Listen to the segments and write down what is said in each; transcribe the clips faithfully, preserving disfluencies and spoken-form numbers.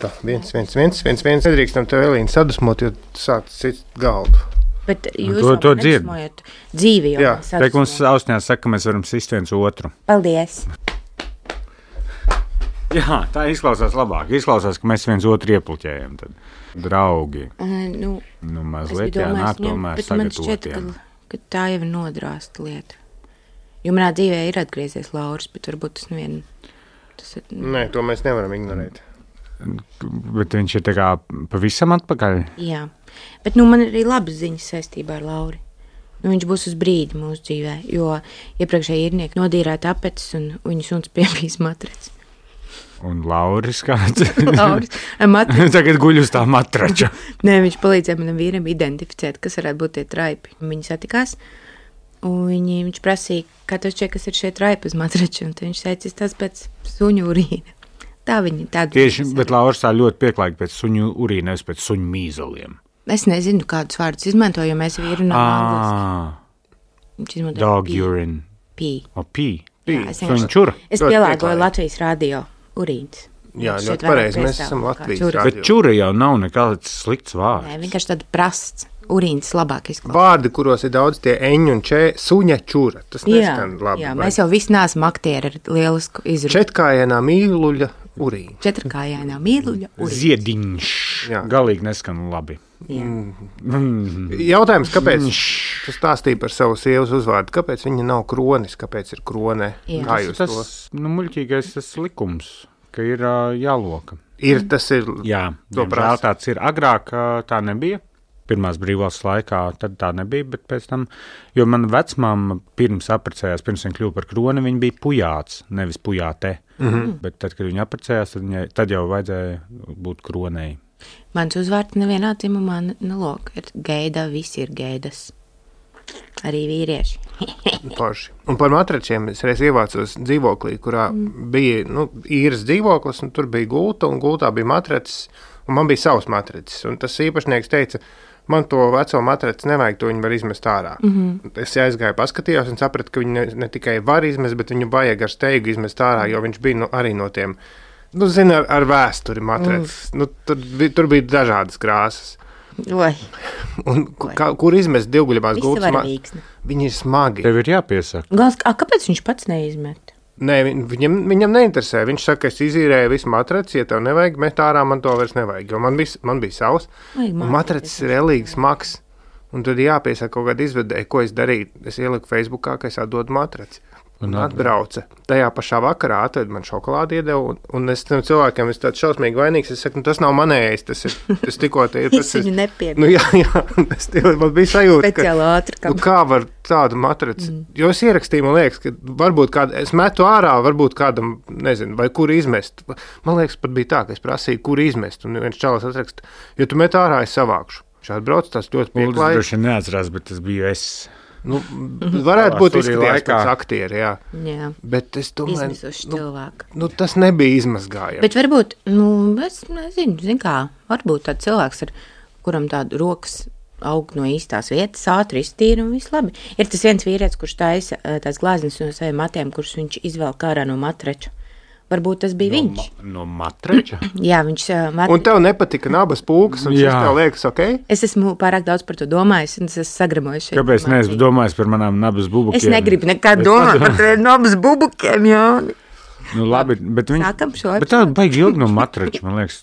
Tā, viens, viens, viens, viens, viens. Nedrīkstam tev, Elīna, sadusmot, jo sāc cits galdu. Bet jūs to, to nedusmojat dzīvi jau. Jā. Teik mums ausņās saka, ka mēs varam sist viens otru. Paldies. Jā, tā izklausās labāk. Izklausās, ka mēs viens otru iepluķējam. Tad. Draugi. Uh, nu, nu, mazliet jānāk tomēr bet man šķiet, ka, ka tā jau ir nodrāsta lieta. Jo manā dzīvē ir atgriezies Lauris, bet varbūt tas nevien... Tas ir, nu... Nē, to mēs nevaram ignorēt. Bet viņš ir tā kā pavisam atpakaļ? Jā. Bet nu, man ir arī labas ziņas saistībā ar Lauri. Nu, viņš būs uz brīdi mūsu dzīvē, jo iepriekšēji īrnieki nodīrēja tapetes un viņu suns piepīs matraci. Un Lauris kāds? Lauris. Matraci. Tagad guļ uz tā matrača. Nē, viņš palīdzēja manam vīram identificēt, kas varētu būt tie traipi. Viņi satikās, un viņi, viņš prasīja, kā tev šķiet, kas ir šie traipi uz matrača, un viņš teica, tas pēc suņu urīna. Tā viņi tāda. Tieši, bet Lauris tā ļoti pieklājīgi pēc suņu urīna, nevis pēc suņu mīzeliem. Es nezinu, kādus vārdus izmantoju, jo mēs vīru nav angliski. Dog pee. Urine. Pee. O, pee. Jā, es, Suņu čura. Es pielāgoju Latvijas radio urīns. Jā, ļoti pareizi, mēs esam Latvijas radio. Bet čura jau nav nekāds slikts vārds. Nē, vienkārši tāda prasts. Urīns labāk izklausās. Vārdi, kuros ir daudz tie eņu un čē, suņa čura. Tas neskan labi. Jā, mēs jau visi neesam aktieri ar lielisku izrunu. Četrkājainā mīluļa urīna. Četrkājainā mīluļa urīna. Ziediņš. Jā. Galīgi neskan labi. Mm. Jautājums, kāpēc tu stāstīji par savu sievas uzvārdu? Kāpēc viņa nav kronis? Kāpēc ir kronē? Kā jūs tas, to? Nu, muļķīgais tas likums, ka ir uh, jāloka. Ir, tas ir. Jā, diemžēl tāds ir. Agrāk uh, tā nebija. Pirmās brīvvalsts laikā tad tā nebija, bet pēc tam, jo mana vecmāma pirms apprecējās, pirms viņa kļuva par kroni, viņa bija pujāts, nevis pujāte. Mm-hmm. Bet tad, kad viņa apprecējās, tad, viņa, tad jau vajadzēja būt kronei. Mans uzvārds nevienā dzimumā nelok, ir geida, visi ir geidas. Arī vīrieši. Paši. Un par matračiem es reiz ievācos dzīvoklī, kurā mm. bija, nu, īres dzīvoklis, un tur bija gulta, un gultā bija matracis, un man bija savs matracis. Un tas īpašnieks teica, man to veco matraci nevajag, to viņu var izmest ārā. Mm-hmm. Es aizgāju, paskatījos un sapratu, ka viņu ne, ne tikai var izmest, bet viņu vajag ar steigu izmest ārā, jo viņš bija nu, arī no tiem, nu, zini, ar, ar vēsturi matracis. Mm. Nu, tur, tur bija dažādas krāsas. Oi. Un kā, kur izmest divguļamās gultas? Ma... Viņi ir smagi. Tev ir jāpiesaka. Gals, a, kāpēc viņš pats neizmet? Nē, viņam, viņam neinteresē. Viņš saka, es izīrēju visu matraci, ja tev nevajag, met ārā, man to vairs nevajag. Jo man bija, man bija savs, Vajag un matracis ir relīgi smags. Un tad jāpiesaka kaut kāda izvedēja, ko es darīju. Es ieliku Facebookā, ka es atdodu matraci. Un atbrauca. Tajā pašā vakarā atved man šokolādi iedeva, un, un es tam cilvēkiem es tāds šausmīgi vainīgs, es saku, nu tas nav manējais, tas ir, tas tikko te ir. Tas es viņu nepiemin. Nu jā, jā, es tev, man bija sajūta, Speciāli ātri, ka, nu kā var tādu matraci, mm. jo es ierakstīju, man liekas, ka varbūt kāda, es metu ārā, varbūt kādam, nezinu, vai kur izmest. Man liekas, pat bija tā, ka es prasīju, kur izmest, un viens čalis atraksta, jo tu met ārā, es savākšu. Šādi brauc, tas ļoti pieklājīgi. Uldis droši neatcerās, bet tas biju es. Nu, varētu būt izskatījās pēc aktieri, jā. jā. Bet es domāju, izmisuši nu, cilvēku. Nu, tas nebija izmazgājami. Bet varbūt, nu, es nezinu, zin kā, varbūt tāds cilvēks, ar kuram tādu rokas aug no īstās vietas, ātri iztīra un viss labi. Ir tas viens vīrietis, kurš taisa tās glāznes no saviem matiem, kurus viņš izvelk ārā no matrača. Varbūt tas bija no, viņš. Ma, no matrača? Jā, viņš... Uh, mat... Un tev nepatika nabas pūkas, un šis tev liekas, ok? Es esmu pārāk daudz par to domājis, un es esmu sagramojis šeit. Kāpēc neesmu domājis par manām nabas bubukiem? Es negribu nekad domāt par tiem nabas bubukiem, Jāni. Nu labi, bet viņš... Sākam šo Bet tā baigi ilgi no matrača, man liekas,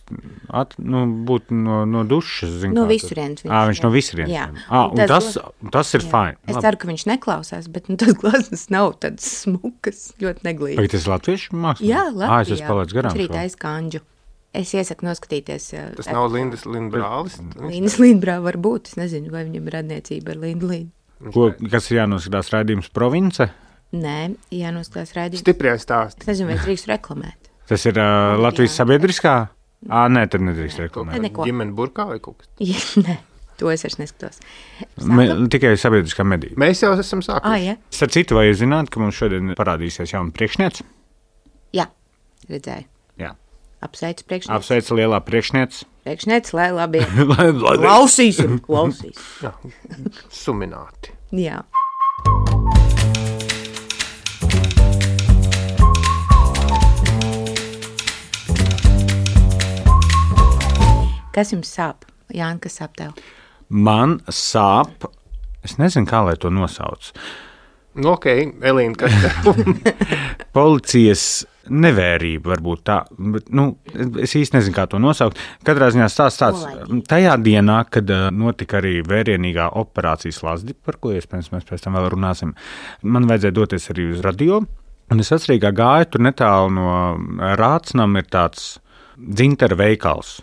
at, nu, būt no, no dušas, zin no kā. visurienes. Ā, viņš no visurienes. Jā. Ā, un tas, tas ir jā. fine. Es labi. ceru, ka viņš neklausās, bet nu, tas glazmas nav tāds smukas, ļoti neglīti. Vai tas latviešu mākslinieks? Jā, Latvijā. Ā, es esmu palaidis garām. Viņš arī taisa kanģu. Es iesaku noskatīties. Tas uh, nav Lindas Lindbrālis? Lindas Lindbrā var būt, es nezinu, vai viņam ir radniecība ar Lindu Lindu. Ko, kas ir jānoskatās raidījums Province? Nē, jānoskatās raidījums. Stiprijais stāsts. Es nezinu, vai es drīkst reklamēt. Tas ir uh, Latvijas sabiedriskā? Ā, nē, tad nedrīkst reklamēt. Neko. Ģimene burkā vai kaut kas? Ja, nē, to es vairs neskatos. Me, tikai sabiedriskā medija. Mēs jau esam sākuši. Ah, ja? Starp citu, vai jūs zināt, ka mums šodien parādīsies jauna priekšniece? Jā, redzēju. Jā. Apsveicu priekšnieci. Apsveicu lielā priekšniece. Priekšnieci, lai labi. lai, lai, klausīsim, klausīs. Jā, sumināti. Jā. Kas jums sāp? Jāni, kas sāp tev? Man sāp, es nezinu, kā lai to nosauc. Nu, ok, Elīna, kas tev? Policijas nevērība varbūt tā, bet, nu, es īsti nezinu, kā to nosaukt. Katrā ziņā stāsts tāds, tajā dienā, kad notika arī vērienīgā operācijas Lazdi, par ko iespējams mēs pēc tam vēl runāsim, man vajadzēja doties arī uz radio, un es atcerīgā gāju, tur netālu no Rācnam ir tāds dzintara veikals.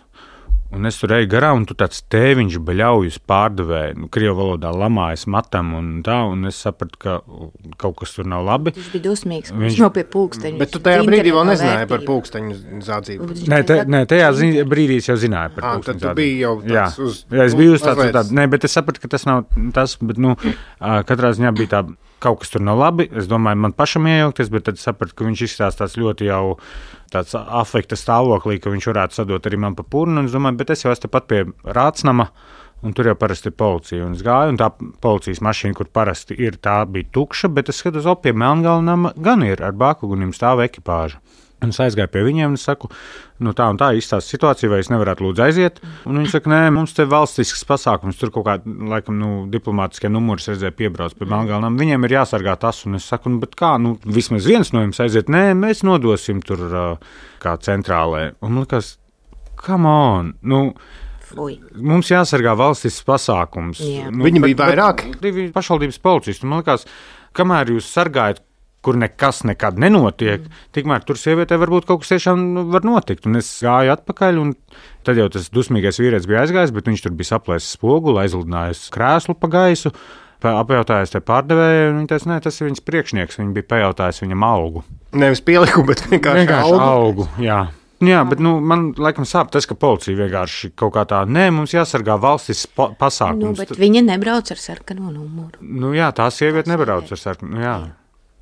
Un es tur eju garām, un tu tāds tēviņš baļaujas pārdevēja, nu, krievu valodā lamājas matam un tā, un es sapratu, ka kaut kas tur nav labi. Viņš bija dusmīgs, viņš, viņš nav pie pulksteņu. Bet tu tajā brīdī vēl nezināji par pulksteņu zādzību. Nē, te, nē, tajā zi, brīdī es jau zināju par à, pulksteņu zādzību. Tad tu biji jau tāds jā. uz... Jā, es biju uz tāds, tāds, nē, bet es sapratu, ka tas nav tas, bet, nu, katrā ziņā bija tā, kaut kas tur nav labi. Es domāju, man pašam iejaukties, bet tad sapratu, ka viņš izskatās tāds ļoti jau tāds afekta stāvoklī, ka viņš varētu sadot arī man pa purnu, un es domāju, bet es jau esmu tepat pie Rācnama, un tur jau parasti ir policija, un es gāju, un tā policijas mašīna, kur parasti ir, tā bija tukša, bet es skatos, op, pie Melngalnama gan ir, ar bākugunim stāv ekipāža. Un es aizgāju pie viņiem un saku, nu tā un tā izstāsta situācija, vai es nevarētu lūdzu aiziet. Un viņi saka, nē, mums te valstisks pasākums, tur kaut kā, laikam, nu, diplomātiskie numuri redzēja piebrauc pie Melngalnam. Viņiem ir jāsargā tas, un es saku, nu, bet kā, nu, vismaz viens no jums aiziet, nē, mēs nodosim tur uh, kā centrālē. Un man likās, come on, nu, Fui. Mums jāsargā valstisks pasākums. Nu, viņi bet, bija vairāk. Divi pašvaldības policisti, un man likās, kamēr jūs sargājat, kur nekas nekad nenotiek, mm. tikmēr tur sievietē varbūt kaut kas tiešām var notikt. Un es gāju atpakaļ, un tad jau tas dusmīgais vīrietis bija aizgājis, bet viņš tur bija saplēsis spoguli, aizlidinājis krēslu pa gaisu, apjautājis te pārdevējai, un viņi teica, nē, tas ir viņas priekšnieks, viņi bija pajautājis viņam algu. Nevis pielikumu, bet vienkārši, vienkārši algu. algu. Jā. Jā, bet nu, man laikam sāp tas, ka policija vienkārši kaut kā tā, nē, mums jāsargā valstis pa pasākums. Nu, bet viņa nebrauc ar sarkano numuru. Nu jā, tā sieviete nebrauc ar sarkano, nu jā.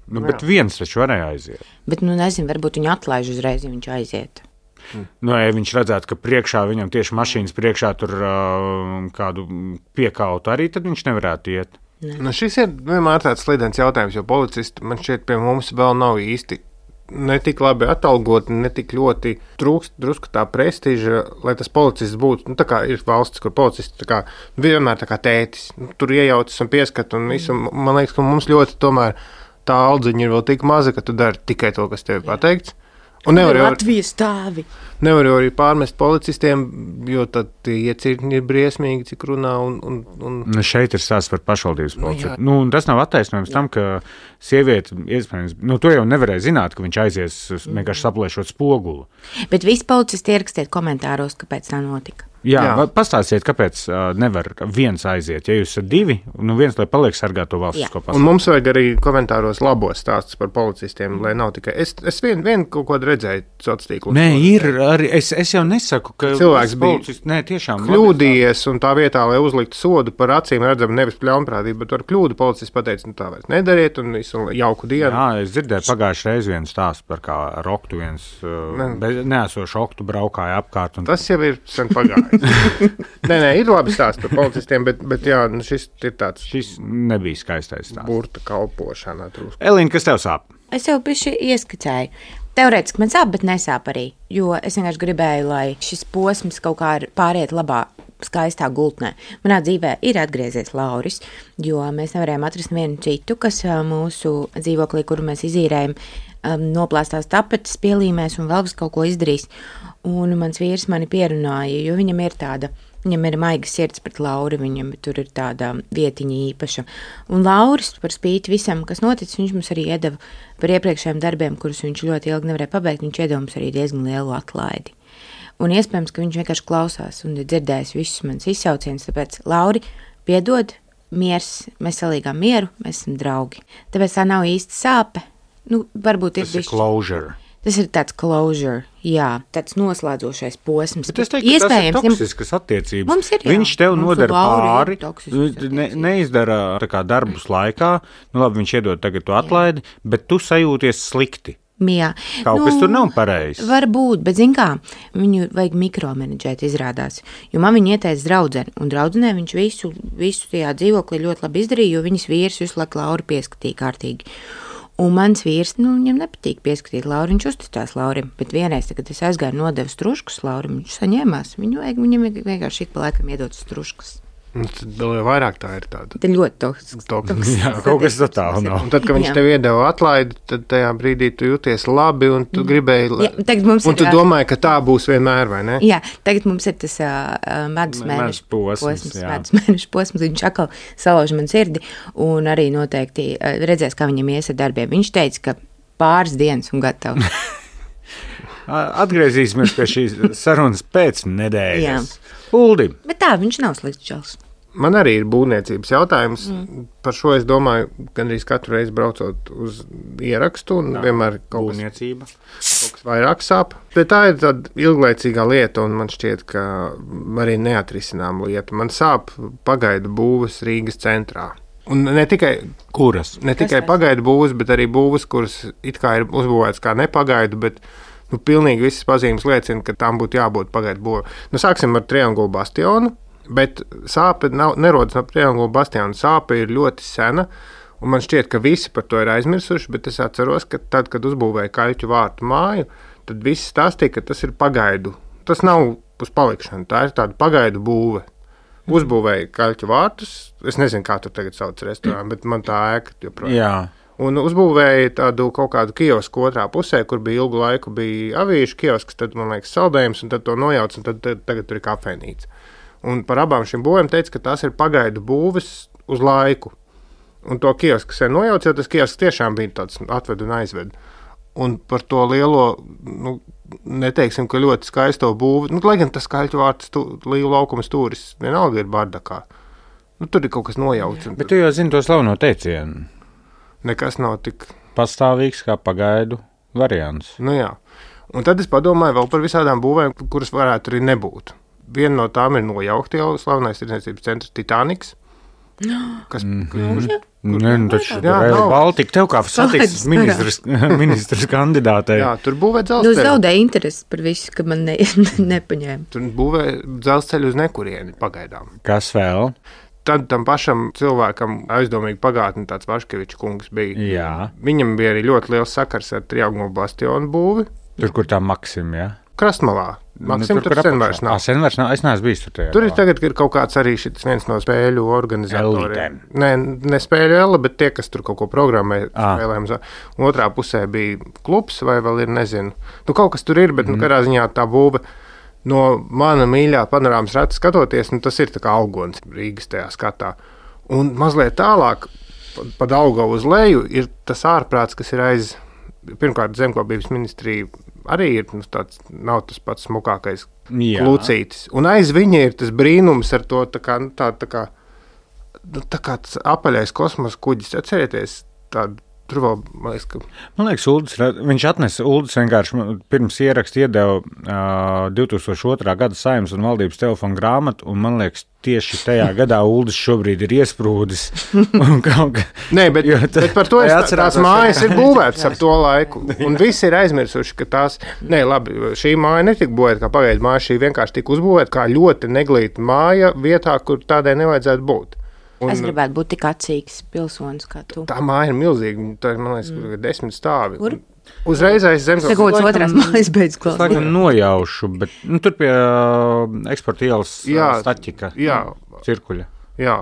Nu, bet viens taču varēja aiziet. Bet, nu, nezinu, varbūt viņu atlaiž uzreiz, ja viņš aiziet. Nu, ja viņš redzētu, ka priekšā viņam tieši mašīnas priekšā tur uh, kādu piekautu arī, tad viņš nevarētu iet. Ne. Nu, šis ir vienmēr tāds slidens jautājums, jo policisti man šķiet pie mums vēl nav īsti ne tik labi atalgoti, ne tik ļoti trūkst drusku tā prestiža, lai tas policists būtu, nu, tā kā ir valsts, kur policists tā kā vienmēr tā kā tētis, nu, tur iejaucas un pieskat un visu, man liekas, ka mums ļoti tomēr tā aldziņa ir vēl tik maza, ka tu dari tikai to, kas tev ir pateikts. Un nevar jau, Latvijas stāvi. Nevar jau arī pārmest policistiem, jo tad tie iecirkņi ir briesmīgi, cik runā. Un, un, un... Nu, šeit ir stāsts par pašvaldības policiju. Nu, nu, tas nav attaisnojums tam, ka sieviete, iespējams, nu, to jau nevarēja zināt, ka viņš aizies vienkārši saplēšot spoguli. Bet visi policisti ierakstiet komentāros, kāpēc tā notika. Jā, Jā. pastāstiet, kāpēc uh, nevar viens aiziet. Ja jūs esat divi, nu viens, lai paliek sargāt to valstisko pasākumu. Un mums vajag arī komentāros labos stāstus par policistiem, lai nav tikai... Es, es vien, vien kaut ko redzēju sociālos tīklos. Nē, ir arī, es, es jau nesaku, ka cilvēks bija policists, nē, tiešām kļūdījies, un tā vietā, lai uzliktu sodu par acīm redzam nevis pļaunprātību, bet ar kļūdu policists pateica, nu tā vairs nedariet, un visu jauku dienu. Jā, es dzirdēju pagājušajā reizē vienu stāstu par kā ar oktu viens uh, neesošu oktu braukāja apkārt. Un... Tas jau ir sen pagājis. Nē, nē, ir labi stāsts par policistiem, bet, bet jā, nu šis ir tāds... Šis nebija skaistais stāsts. Burta kalpošana. Drusku. Elīna, kas tev sāp? Es jau bišķi ieskicēju. Teorētiski man sāp, bet nesāp arī, jo es vienkārši gribēju, lai šis posms kaut kā pāriet labā, skaistā gultnē. Manā dzīvē ir atgriezies Lauris, jo mēs nevarējām atrast vienu citu, kas mūsu dzīvoklī, kuru mēs izīrējam, noplāstās tapetes, pielīmēs un vēl vis kaut ko izdarīs. Un mans vīrs mani pierunāja, jo viņam ir tāda, viņam ir maiga sirds pret Lauri, viņam tur ir tāda vietiņa īpaša. Un Lauris par spīti visam, kas noticis, viņš mums arī iedeva par iepriekšējiem darbiem, kurus viņš ļoti ilgi nevarēja pabeigt, viņš iedeva mums arī diezgan lielu atlaidi. Un iespējams, ka viņš vienkārši klausās un ir dzirdējis visus manas izsaucienus, tāpēc Lauri, piedod, miers, mēs salīgām mieru, mēs esam draugi. Tāpēc tā nav īsti sāpe, nu, varbūt ir Tas ir bišķi. closure. Tas ir tāds closure, jā, tāds noslēdzošais posms. Bet es teiktu, ka tas ir toksiskas attiecības. Mums ir, jā. Viņš tev Mums nodara ar Lauri pāri, ir toksiskas ne, attiecības. neizdara tā kā darbus laikā, nu labi, viņš iedod tagad to atlaidi, bet tu sajūties slikti. Jā. Kaut nu, kas tur nav pareizs. Varbūt, bet zin kā, viņu vajag mikromenedžēt izrādās, jo man viņa ieteica draudzeni, un draudzenē viņš visu, visu tajā dzīvoklī ļoti labi izdarīja, jo viņas vīrs visu laiku Lauri pieskatīja kārtīgi. Un mans vīrs, nu, viņam nepatīk pieskatīt Lauru, viņš uzticās Laurim, bet vienreiz, kad es aizgāju nodevu struškus Laurim, viņš saņēmās, viņu vajag, viņam vienkārši ik pa laikam iedot struškus. Tad vēl vairāk tā ir tāda. Tā ļoti toksisks. Jā, kaut kas tā tālu nav. Un tad, kad viņš Jā. tev iedeva atlaidi, tad tajā brīdī tu jūties labi un tu gribēji, Jā, tagad mums un ir, tu ā, domāji, ka tā būs vienmēr, vai ne? Jā, tagad mums ir tas uh, medus Medus mēnešu posms, posms, jā. medus mēnešu posms, viņš atkal salauž man sirdi un arī noteikti uh, redzēs, kā viņam ies ar darbiem. Viņš teica, ka pāris dienas un gatavs. Atgriezīsimies pie šīs sarunas pēc nedēļas. Jā. Uldi. Bet tā, viņš nav slikts čals. Man arī ir būvniecības jautājums. Mm. Par šo es domāju, gandrīz katru reizi braucot uz ierakstu, un Jā, vienmēr kaut kas, būvniecība. kaut kas vairāk sāp. Bet tā ir tāda ilglaicīgā lieta, un man šķiet, ka arī neatrisinām lieta. Man sāp pagaidu būvas Rīgas centrā. Un ne tikai, Kuras? ne tikai pagaidu būvas, bet arī būvas, kuras it kā ir uzbūvētas kā nepagaidu, bet nu, pilnīgi visas pazīmes liecina, ka tām būtu jābūt pagaidu būvai. Nu, sāksim ar Triangulu bastionu. Bet sāpe nav, nerodas no Triangula bastiona. Sāpe ir ļoti sena, un man šķiet, ka visi par to ir aizmirsuši, bet es atceros, ka tad, kad uzbūvēja Kaļķu vārtu māju, tad visi stāstīja, ka tas ir pagaidu. Tas nav uz palikšanu, tā ir tāda pagaidu būve. Uzbūvēja Kaļķu vārtus, es nezinu, kā tur tagad sauc restorānu, bet man tā ēka joprojām. Jā. Un uzbūvēja tādu kaut kādu kiosku otrā pusē, kur bija ilgu laiku bija avīšu kiosks, tad, man liekas, saldējums, un tad to nojauc, un tad, tad tagad tur ir kafejnīca. Un par abām šīm būvēm teica, ka tās ir pagaidu būves uz laiku. Un to kiosku sen nojauc, jo tas kiosks tiešām bija tāds atved un aizved. Un par to lielo, nu, neteiksim, ka ļoti skaisto būvi, nu, lai gan tas Kaļķu vārts Līvu laukuma stūris vienalga ir bardakā. Nu, tur ir kaut kas nojauts. Bet tu jau zini to slaveno teicienu. Nekas nav tik Pastāvīgs kā pagaidu variants. Nu jā. Un tad es padomāju vēl par visādām būvēm, kuras varētu arī nebūt. Viena no tām ir nojaukta jau slavenais tirdzniecības centrs Titaniks. Kas, Mm. kurš, Nē, nu taču Jā, Rail nav. Baltica tev kā satiksmes ministrs, ministrs kandidātei. jā, tur būvē Nu, dzelzceļu. zaudēja interesi par visu, ka man ne, nepaņēma. Tur būvē dzelzceļu uz nekurieni pagaidām. Kas vēl? Tad tam pašam cilvēkam aizdomīgi pagātni tāds Vaškevičs kungs bija. Jā. Viņam bija arī ļoti liels sakars ar Triangulu bastionu būvi. Tur, kur tā Maksim, jā? Krastmalā. Maksim, Nu, tur, tur sen vairs nav. Ah, sen vairs nav. Es neesmu bijis tur tajā. Tur ir tagad ir kaut kāds arī šis viens no spēļu organizatoriem. Elitēm. Nē, ne spēļu ele, bet tie, kas tur kaut ko programmē Ah. spēlēm. Un otrā pusē bija klubs vai vēl ir, nezinu. Nu, kaut kas tur ir, bet, mm. nu, kādā ziņā tā būve no mana mīļā panorāmas rata skatoties, nu, tas ir tā kā augons Rīgas tajā skatā. Un mazliet tālāk, pa, pa Daugavu uz leju, ir tas ārprāts, kas ir aiz, pirmkārt, zemkopības ministrija arī ir, nu, tāds, nav tas pats smukākais Jā. klucītis. Un aiz viņa ir tas brīnums ar to tā kā, nu, tā, tā kā, nu, tā kā tas apaļais kosmosa kuģis. Atcerieties tādu, tur vēl, man liekas, ka... Man liekas, Uldis, viņš atnesa Uldis vienkārši pirms ieraksta iedeva uh, divi tūkstoši otrā gada Saeimas un valdības telefonu grāmatu, un man liekas, tieši tajā gadā Uldis šobrīd ir iesprūdis. Nē, bet, Jo tā- bet par to es, Jā, tā, tās atcerās, mājas jā. ir būvētas ap to laiku, un visi ir aizmirsuši, ka tās, nē, labi, šī māja netika būvēta kā pagaidu māja, šī vienkārši tika uzbūvēta kā ļoti neglīta māja vietā, kur tādai nevajadzētu būt. Un Es gribētu būt tik acīgs pilsonis kā tu. tā māja ir milzīga, tā ir, man liekas, kur ir desmit stāvi. Kur? Uzreiz aiz zemes. Tagad laikam- otrās mājas beidz Es klausīt. laikam nojaušu, bet nu, tur pie uh, eksporta ielas Jā, uh, staķika jā. cirkuļa. Jā.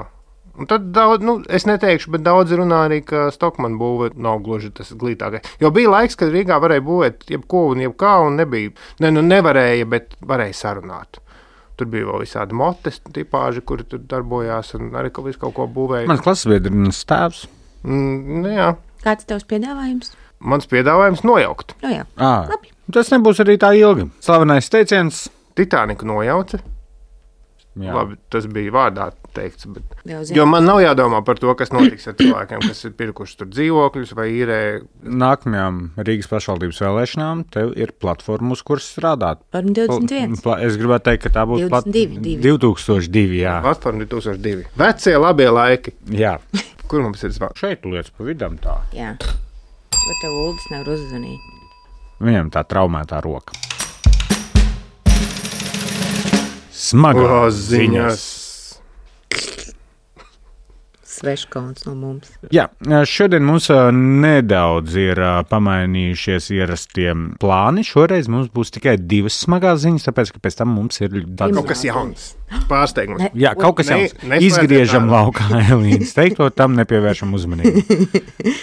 Un tad daudz, nu, es neteikšu, bet daudz runā arī, ka Stokmana būve nav gluži tas glītākais. Jo bija laiks, kad Rīgā varēja būvēt jebko un jebkā, un nebija, ne, nu nevarēja, bet varēja sarunāt. Tur bija vēl visādi motes tipāži, kuri tur darbojās un arī kaut, visu kaut ko būvēja. Mans klases biedrins tēvs. Mm, nu, jā. Kāds tavs piedāvājums? Mans piedāvājums nojaukt. Nu jā, À, labi. tas nebūs arī tā ilgi. Slavenais teiciens. Titaniku nojauca. Jā. Labi, tas bija vārdā teikts, bet... Jau zinu. Jo man nav jādomā par to, kas notiks ar cilvēkiem, kas ir pirkuši tur dzīvokļus vai īrē. Nākamajām Rīgas pašvaldības vēlēšanām tev ir platforma, uz kuras strādāt. Varam divdesmit viens. Pla- Es gribētu teikt, ka tā būtu divdesmit divi, divi. divi tūkstoši divi. Jā. Platforma divi tūkstoši divi. Vecie labie laiki. jā. Kur mums ir zvans? Šeit lietas pa vidam tā. Jā. Bet tev Uldis nevar uzzvanīt. Viņam tā traumētā roka. Smagās ziņas. sveškauns no mums. Jā, šodien mums nedaudz ir pamainījušies ierastie plāni. Šoreiz mums būs tikai divas smagās ziņas, tāpēc, ka pēc tam mums ir tāds kaut kas jauns. Pārsteigums. Jā, kaut kas jauns. Ne, Izgriežam laukā Elīnas teikto, tam nepievēršam uzmanību.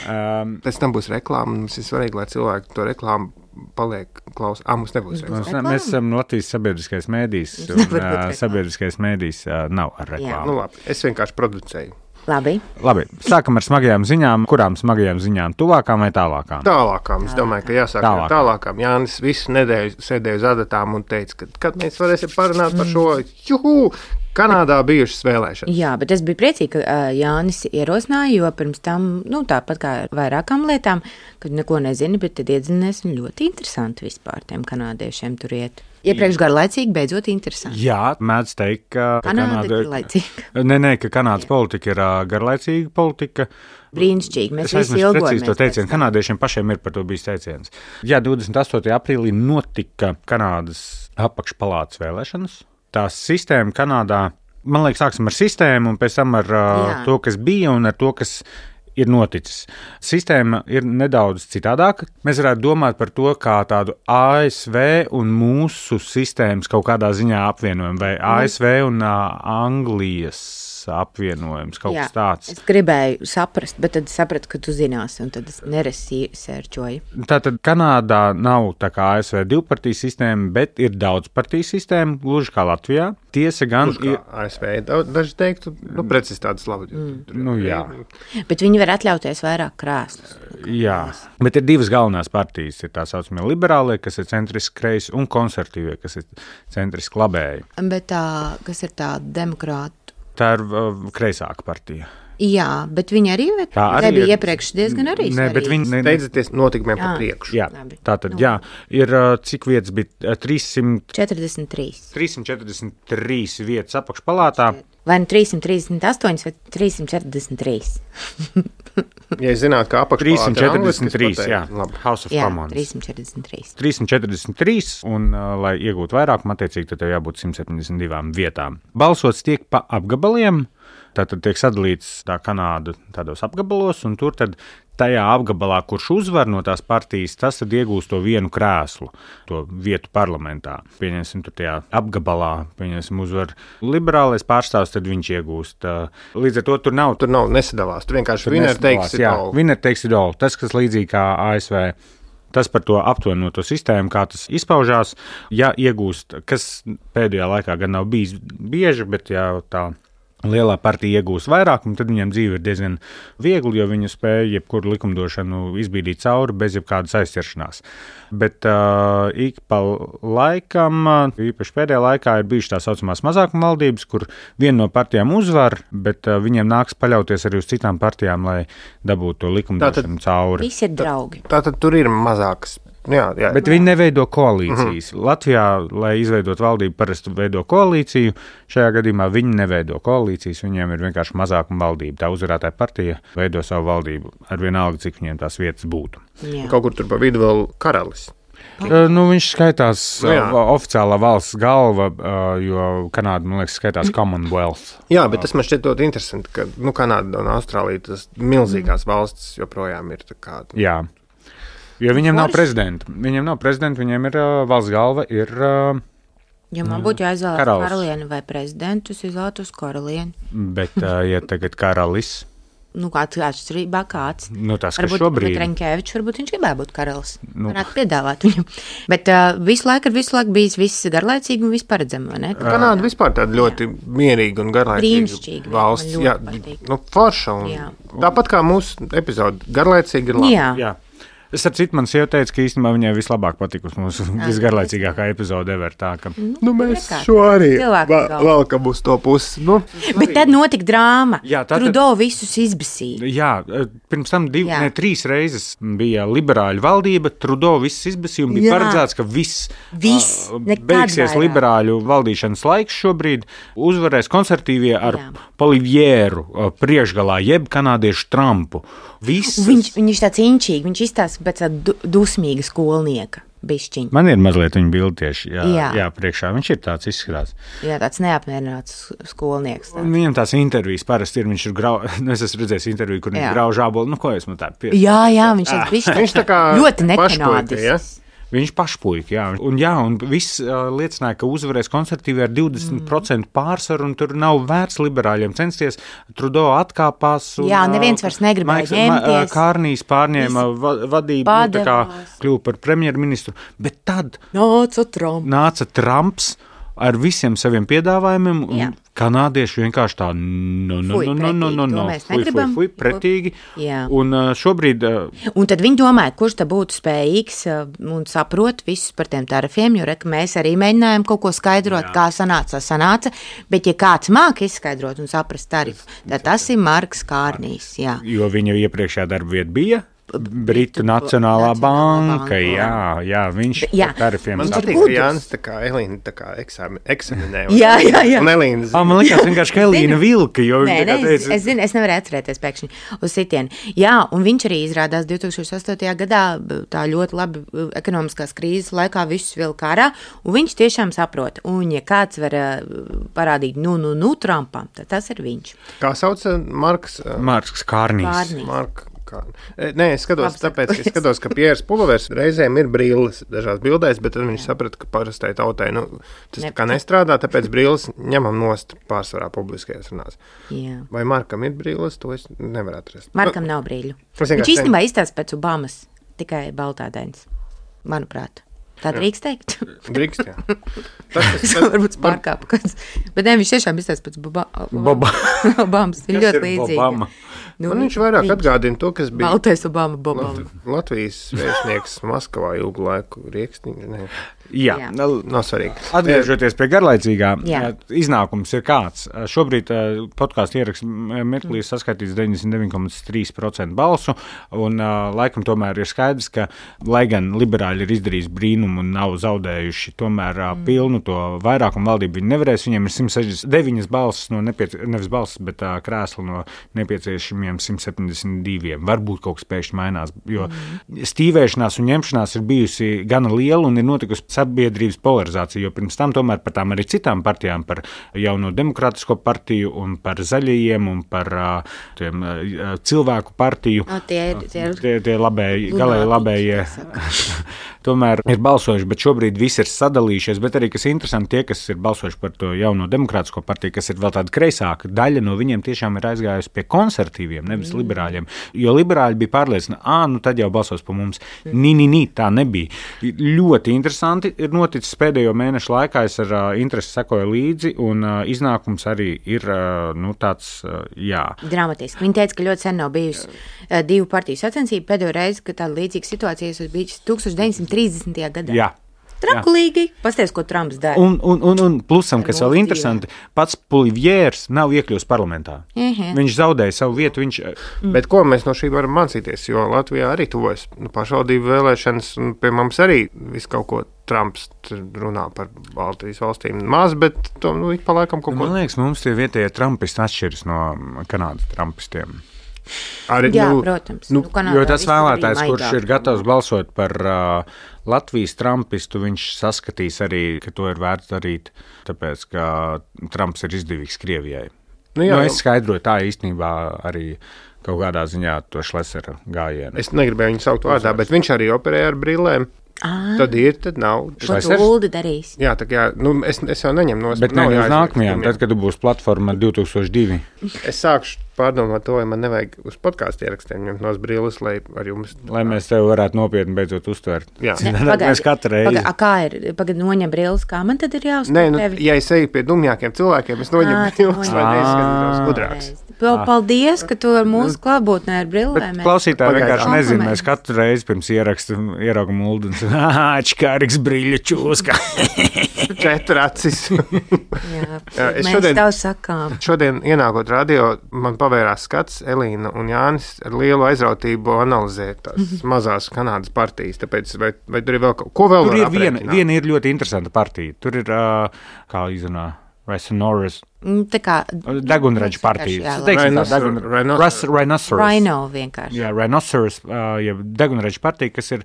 um, pēc tam būs reklāma, mums ir svarīgi, lai cilvēki to reklāmu paliek klausās. Ah, mums nebūs reklāma. Mēs esam Latvijas sabiedriskais mēdījis, un uh, sabiedriskais mēdījis uh, nav ar reklāmu. Nu labi, es vienkārši producēju. Labi. Labi, sākam ar smagajām ziņām. Kurām smagajām ziņām? Tuvākām vai tālākām? Tālākām. Es domāju, ka jāsāk tālākām. ar tālākām. Jānis visu nedēļu sēdēja uz adatām un teica, ka kad mēs varēsim parunāt par šo juhu, Kanādā bijušas vēlēšanas. Jā, bet es biju priecīga, ka uh, Jānis ierosināja, jo pirms tam, nu tāpat kā ar vairākām lietām, kad neko nezini, bet tad iedzinies un ļoti interesanti vispār tiem kanādiešiem tur iet. Iepriekš garlaicīgi, beidzot interesanti. Jā, mēdz teikt, ka Kanāda ir garlaicīga. Nē, nē, ka Kanādas politika ir uh, garlaicīga politika. Brīnišķīgi, mēs es visi ilgojamies. To teicienu. Kanādiešiem pašiem ir par to bijis teiciens. Jā, divdesmit astotajā aprīlī notika Kanādas apakšpalātas vēlēšanas. Tā sistēma Kanādā, man liekas, sāksim ar sistēmu un pēc tam ar uh, to, kas bija un ar to, kas ir noticis. Sistēma ir nedaudz citādāka. Mēs varētu domāt par to kā tādu A S V un mūsu sistēmas kaut kādā ziņā apvienojumu, vai A S V un uh, Anglijas apvienojums, kaut Jā, kas tāds. Es gribēju saprast, bet tad sapratu, ka tu zinās, un tad es neresērčoju. Tātad Kanādā nav tā kā A S V divpartiju sistēma, bet ir daudzpartiju sistēma, gluži kā Latvijā. Tiesa gan ir A S V. Daži teiktu, nu, precizitātes labi. Mm. Nu, jā. Bet viņi var atļauties vairāk krēslus. Jā, bet ir divas galvenās partijas. Ir tā saucamie liberālie, kas ir centriski kreisi, un konservatīvie, kas ir centriski labēji. Bet tā, kas ir tā demokrāta? Tā ir uh, kreisāka partija. Jā, bet viņi arī, arī bija ir... iepriekš diezgan arī ne, bet viņi ne... steidzaties notikumiem pa priekšu. Jā, Labi. tātad, nu. jā, ir uh, cik vietas bija? trīssimt četrdesmit trīs. trīssimt četrdesmit trīs vietas apakšpalātā. Vai nu trīssimt trīsdesmit astoņi vai trīssimt četrdesmit trīs? Ja zināt, ka apakšpalāta trīssimt četrdesmit trīs, jā, labi. House of jā, Commons. trīssimt četrdesmit trīs. trīssimt četrdesmit trīs, un, uh, lai iegūtu vairākumu, attiecīgi, tad tev jābūt simt septiņdesmit divām vietām. Balsots tiek pa apgabaliem, tātad tiek sadalīts tā Kanāda tādos apgabalos, un tur tad tajā apgabalā, kurš uzvar no tās partijas, tas tad iegūst to vienu krēslu, to vietu parlamentā. Pieņemsim, tur tajā apgabalā, pieņemsim, uzvar liberālais pārstāvs, tad viņš iegūst. Līdz ar to tur nav. Tur nav nesadalās, tur vienkārši winner takes it all. Winner takes it all. Tas, kas līdzīgi kā A S V. Tas par to aptuveno to sistēmu, kā tas izpaužās, ja iegūst, kas pēdējā laikā gan nav bijis bieži, bet jā, tā lielā partija iegūst vairākumu, tad viņam dzīve ir diezgan viegli, jo viņi spēja jebkuru likumdošanu izbīdīt cauri bez jebkādas aizķeršanās. Bet uh, ik pa laikam, īpaši pēdējā laikā, ir bijušas tā saucamās mazākuma valdības, kur viena no partijām uzvar, bet uh, viņiem nāks paļauties arī uz citām partijām, lai dabūtu to likumdošanu tātad, cauri. Visi ir draugi. Tātad tur ir mazākas. Jā, jā. Bet viņi neveido koalīcijas. Mm-hmm. Latvijā, lai izveidot valdību, parasti veido koalīciju. Šajā gadījumā viņi neveido koalīcijas, viņiem ir vienkārši mazākuma valdība. Tā uzvarētāja partija veido savu valdību ar vienalga, cik viņiem tās vietas būtu. Jā. Kaut kur tur pa vidu vēl karalis. Uh, nu, viņš skaitās uh, oficiālā valsts galva, uh, jo Kanāda, man liekas, skaitās Commonwealth. Jā, bet tas man šķiet ļoti interesanti, ka nu, Kanāda un Austrālija, tas milzīgās valstis joprojām ir tā kā... Jā. Jo viņiem nav prezidenta. Viņiem nav prezidenta, viņiem ir uh, valsts galva, ir... Uh, ja man būtu jāizvēlas karalieni vai prezidentu, es izvēlētos karalieni. Bet, uh, ja tagad karalis... Nu, kāds atšķirībā kāds. Nu, tas, ka varbūt šobrīd... Reņķēvičs, varbūt viņš gribēja būt karalis. Nu. Varētu piedāvāt viņu. Bet uh, visu laiku ir visu laiku bijis viss garlaicīgi un viss paredzami, vai ne? Kanāda uh, vispār tāda ļoti mierīga un garlaicīga valsts. Jā, nu, forša. Un jā. Tāpat kā mūsu epizode, garlaicīga ir labi. Jā. Jā. Es ar citu man sieva teicu, ka īstenībā viņai vislabāk patikusi mūsu visgarlaicīgākā epizode ever. Tā, ka... Nu, mēs šo arī valkam uz to pusi. Nu. Bet tad notika drāma. Jā, tā, Trudo visus izbasīja. Jā, pirms tam div, ne, trīs reizes bija liberāļu valdība, Trudo visus izbasīja un bija jā. Paredzēts, ka viss, viss uh, beigsies vairāk. Liberāļu valdīšanas laiks šobrīd, uzvarēs konservatīvie ar jā. Polivieru uh, priekšgalā, jeb kanādiešu Trumpu. Viss. Viņš, viņš tāds inčīgi, viņš izstāsta pēc tāda dusmīga skolnieka. bišķiņ. Man ir mazliet viņa bildi tieši, jā, jā. Jā. jā, priekšā. Viņš ir tāds izskatās. Jā, tāds neapmierināts skolnieks. Un viņam tās intervijas parasti ir, viņš ir grau, es esmu redzējis interviju, kur viņš Jā. grauž ābolu, nu ko es man tā pie... Jā, jā, viņš tāds bišķi Viņš tā kā ļoti pašpuika, ja? nekanādisks. Viņš pašpuika, jā. Un, jā, un viss uh, liecināja, ka uzvarēs konservatīvi ar divdesmit procentu mm. pārsvaru, un tur nav vērts liberāļiem censties. Trudeau atkāpās. Un, Jā, neviens vairs negribēja Maiks, ņemties. Ma, Kārnīs pārņēma va, vadību, nu, tā kā kļuva par premjerministru. Bet tad Nāca Trumps. nāca Trumps ar visiem saviem piedāvājumiem, un Jā. kanādieši vienkārši tā, no, no, Fuj, no, no, no, no, pretīgi, to no, mēs fuj, fuj, negribam. fuj, pretīgi. Jā. Un uh, šobrīd... Uh, Un tad viņi domāja, kurš tad būtu spējīgs uh, un saprot visus par tiem tarifiem, jo reka, mēs arī mēģinājām kaut ko skaidrot, Jā. kā sanāca, sanāca, bet ja kāds māka izskaidrot un saprast tarifu, tad tas ir Marks Kārnīs. Jā. Jo viņa iepriekšējā darba vieta bija Britu Britu Nacionālā Nacionālā banka, banka, jā, jā, viņš Jā. par tarifiem Man Viņš ir patīk, gudrs. ka Jānis tā kā Elīna tā kā eksami, eksaminē. Un, Jā, jā, jā. Un Elīna Ah, man liekas vienkārši, ka Elīna vilka, jo Nē, viņa nē, tā es, teica... es zinu, es nevaru atcerēties pēkšņi uz sitienu. Jā, un viņš arī izrādās divtūkstoš astotajā gadā tā ļoti labi ekonomiskās krīzes laikā visus vilka ārā, un viņš tiešām saprot. Un ja kāds var uh, parādīt, nu, nu, nu, Trumpam, tad tas ir viņš. Kā sauc uh, Marks? Uh, Marks Kārnīs. Kārnīs. Mark, kā, e, nē, es skatos, Labi tāpēc, ka es saprotu. skatos, ka Pieris Pulovers reizēm ir brīlis dažās bildēs, bet tad viņš saprata, ka parastai tautai nu, tas tā kā nestrādā, tāpēc brīlis ņemam nost pārsvarā publiskajās runās. Jā. Vai Markam ir brīlis, to es nevaru atrast. Markam nav brīļu. Es Viņš vienkārši īstenībā izstāsta pēc Obamas, tikai baltādains, manuprāt. Tā drīkst teikt. Drīkst, jā. Tas, Tas varbūt pārkāpa kāds. Bet ne, viņš tiešām izstāsta pēc Boba, Boba. Obamas. Viņa Kas ļoti ir līdzīga. Obama? Nu, Man viņš vairāk atgādina to, kas bija Baltais Obama, Bobam. Lat- Latvijas vēstnieks Maskavā ilgu laiku riekstiņš. Ne, Jā, Jā. nav svarīgi. atgriežoties pie garlaicīgā, Jā. iznākums ir kāds. Šobrīd podkāstu ieraksts mirklī saskaitīts deviņdesmit deviņi komats trīs procenti balsu, un laikam tomēr ir skaidrs, ka, lai gan liberāļi ir izdarījis brīnumu un nav zaudējuši tomēr mm. pilnu to vairākumu valdību, viņi nevarēs, viņiem ir simt sešdesmit deviņas balsis no nepiecie, nevis balsis, bet uh, krēsli no nepieciešamiem simt septiņdesmit diviem. Varbūt kaut kas pēkšņi mainās, jo mm. stīvēšanās un ņemšanās ir bijusi gana liela un ir notikusi sabiedrības polarizācija, jo pirms tam tomēr par tām arī citām partijām, par jauno demokrātisko partiju un par zaļajiem un par uh, tiem uh, cilvēku partiju. No, tie ir- tie ir- tie, tie labēji, Lunātiķi, galēji labējie tā tomēr ir balsojuši, bet šobrīd viss ir sadalījušies, bet arī, kas interesanti, tie, kas ir balsojuši par to jauno demokrātisko partiju, kas ir vēl tāda kreisāka, daļa no viņiem tiešām ir aizgājusi pie konservatīviem, nevis mm. liberāļiem, jo liberāļi bija pārliecināti, ā, nu tad jau balsos par mums. Mm. Nī, nī, nī, tā nebija. Ļoti interesanti ir noticis pēdējo mēnešu laikā, es ar uh, interesi sekoju līdzi, un uh, iznākums arī ir, uh, nu, tāds, uh, jā. Dramatiski. Viņa teica, ka ļoti sen nav bijusi uh, divu partiju sacensība. Pēdējo reizi, kad tāda līdzīga situācija ir bijusi tūkstoš deviņsimt trīsdesmitajā gadā. Jā. Trakulīgi. Pasties, ko Trumps dara. Un, un, un, un plusam, Ar kas mūsu vēl interesanti, pats Pulivjērs nav iekļūst parlamentā. Mhm. Viņš zaudēja savu vietu, viņš... Mm. Bet ko mēs no šī varam mācīties? Jo Latvijā arī tuvojas nu, pašvaldību vēlēšanas, un pie mums arī viss kaut ko Trumps runā par Baltijas valstīm. Maz, bet to nu, ik pa laikam kaut ko. Man liekas, mums tie vietējie trumpisti atšķiras no Kanādas trumpistiem. Arī, Jā, nu, protams. nu, Nu, Kanādā Jo tas viss tur vēlētājs, bija kurš maigāk. ir gatavs balsot par uh, Latvijas trumpistu, viņš saskatīs arī, ka to ir vērts darīt, tāpēc, ka Trumps ir izdevīgs Krievijai. Nu, jā, nu, jau- es skaidroju tā īstenībā arī kaut kādā ziņā to Šlesera gājienu. Es negribēju viņu saukt vārdā, bet viņš arī operēja ar brillēm. Ā, Tad ir, tad nav. ko Šlesers? tu Uldi darīs? Jā, tā kā, nu, es, es jau neņemu no Bet ne uz nākamajām, tad, kad tu būsi platforma divi tūkstoši divi. Es sākšu pārdomāt to, vai man nevajag uz podkāstu ierakstiem ņemt no brilles, lai ar jums. Lai mēs tevi varētu nopietni beidzot uztvert. Jā. Ne, Tad pagaidi, mēs katru reizi. Pagaidi, a, kā ir? Pagaidi, noņem brilles, kā man tad ir jāuztver Nē, nu, tevi? ja es eju pie dumjākiem cilvēkiem, es noņemu Ā, tu brilles, lai noņem. neizskatītos gudrāks. Vēl paldies, ka tu ar mūsu klātbūtnē ar brillēm. Bet klausītāji Pagaidām. vienkārši nezina, mēs Kompliments. katru reizi pirms ierakstu ieraugam Uldu un sakām, ah, čkārīgs brīļa čūska. Četri acis. Jā, Jā, es mēs šodien- tev sakām. Šodien, ienākot radio, man pavērās skats, Elīna un Jānis ar lielu aizrautību analizē tās mazās Kanādas partijas. Tāpēc, vai, vai tur ir vēl kaut ko vēl? Tur var ir viena, aprēķināt? viena ir ļoti interesanta partija. Tur ir, uh, kā izrunā, Rhinoceros. Tā kā Degunraģa partija. Rhinoceros. Rhino vienkārši. Jā, Rhinoceros, ja degunraģa partija, kas ir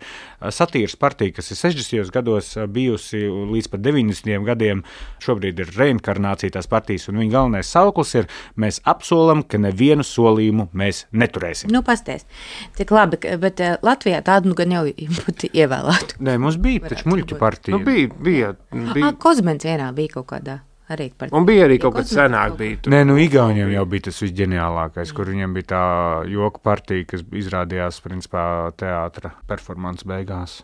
satīras partija, kas ir sešdesmitajos gados bijusi līdz pat deviņdesmitajiem gadiem. Šobrīd ir reinkarnācija tās partijas, un viņa galvenais sauklis ir: mēs apsolam, ka nevienu solījumu mēs neturēsim. Nu, pasties. Cik labi, bet Latvijā tādu nu gan jau būtu ievēlētu. Nē, mums bija taču muļķu partija. Nu, bija, bija. bija. Ah, Kozmens vienā bija kaut kādā. Arī un bija arī kaut kas senāk. Bija, Nē, nu, Igauniem jau bija tas visģeniālākais, kur viņiem bija tā joku partija, kas izrādījās, principā, teātra performance beigās.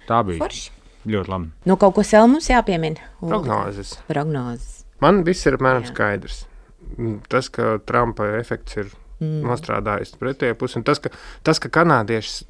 Tā bija. Forši. Ļoti labi. Nu, kaut ko vēl mums jāpiemina. Prognozes. Prognozes. Man viss ir apmēram skaidrs. Tas, ka Trumpa efekts ir mm. nostrādājis pretējā pusi, un tas, ka, tas, ka kanādieši,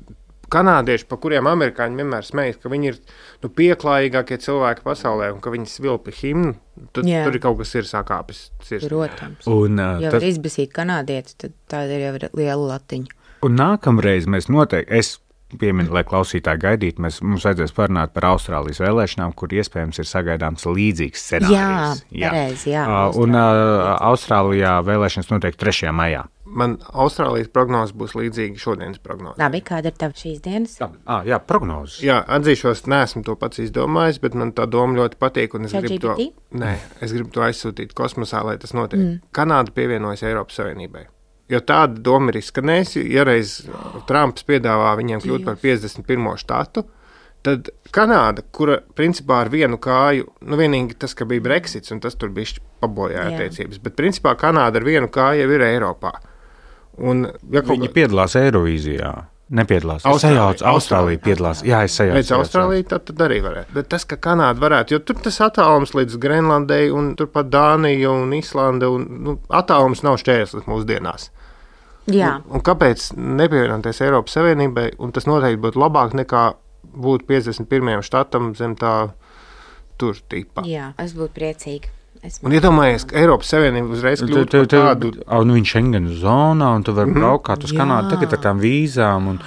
kanādieši, pa kuriem amerikāņi vienmēr smejas, ka viņi ir nu, pieklājīgākie cilvēki pasaulē un ka viņi svilpi himnu, tad yeah. tur ir kaut kas ir sakāpis. Protams. Un, uh, ja tas... var izbasīt kanādieti, tad tā ir jau liela latiņa. Un nākamreiz mēs noteikti, es pieminu, lai klausītāji gaidītu, mēs, mums vajadzēs parunāt par Austrālijas vēlēšanām, kur iespējams ir sagaidāms līdzīgs scenārijs. Jā, pareizi, jā. Uh, un uh, Austrālijā vēlēšanas noteikti trešajā maijā. Man Austrālijas prognozes būs līdzīga šodienas prognozes. Labi, kāda ir tava šīs dienas? Ah, jā, prognozes. Jā, atzīšos, neesmu to pats izdomājis, bet man tā doma ļoti patīk. Un es, gribu to, nē, es gribu to aizsūtīt kosmosā, lai tas notiek. Mm. Kanāda pievienojas Eiropas Savienībai. Jo tāda doma ir izskanējusi, ja reiz Trumps piedāvā viņiem kļūt par piecdesmit pirmo štatu, tad Kanāda, kura principā ar vienu kāju, nu vienīgi tas, ka bija Brexits, un tas tur bišķi pabojāja attiecības, bet principā Kanāda ar vienu kāju jau ir Eiropā. Un, ja Viņi kā... piedalās Eirovīzijā. Nepiedalās. Austrālija, Austrālija, Austrālija piedalās. Jā, es sajaucu. Pēc Austrālija tad, tad arī varētu. Bet tas, ka Kanāda varētu, jo tur tas attālums līdz Grenlandei un turpat Dānija un Islande, un nu, attālums nav šķērslis mūsdienās. Jā. Un, un kāpēc nepievienoties Eiropas Savienībai, un tas noteikti būtu labāk nekā būt piecdesmit pirmajam štatam zem tā tur tipa. Jā, es būtu priecīga. Esmu. Un iedomājies, ka Eiropas Savienība uzreiz kļūtu par tādu... Un viņš Schengen zonā, un tu vari mm-hmm. braukāt uz Kanādu tagad ar tām vīzām, un,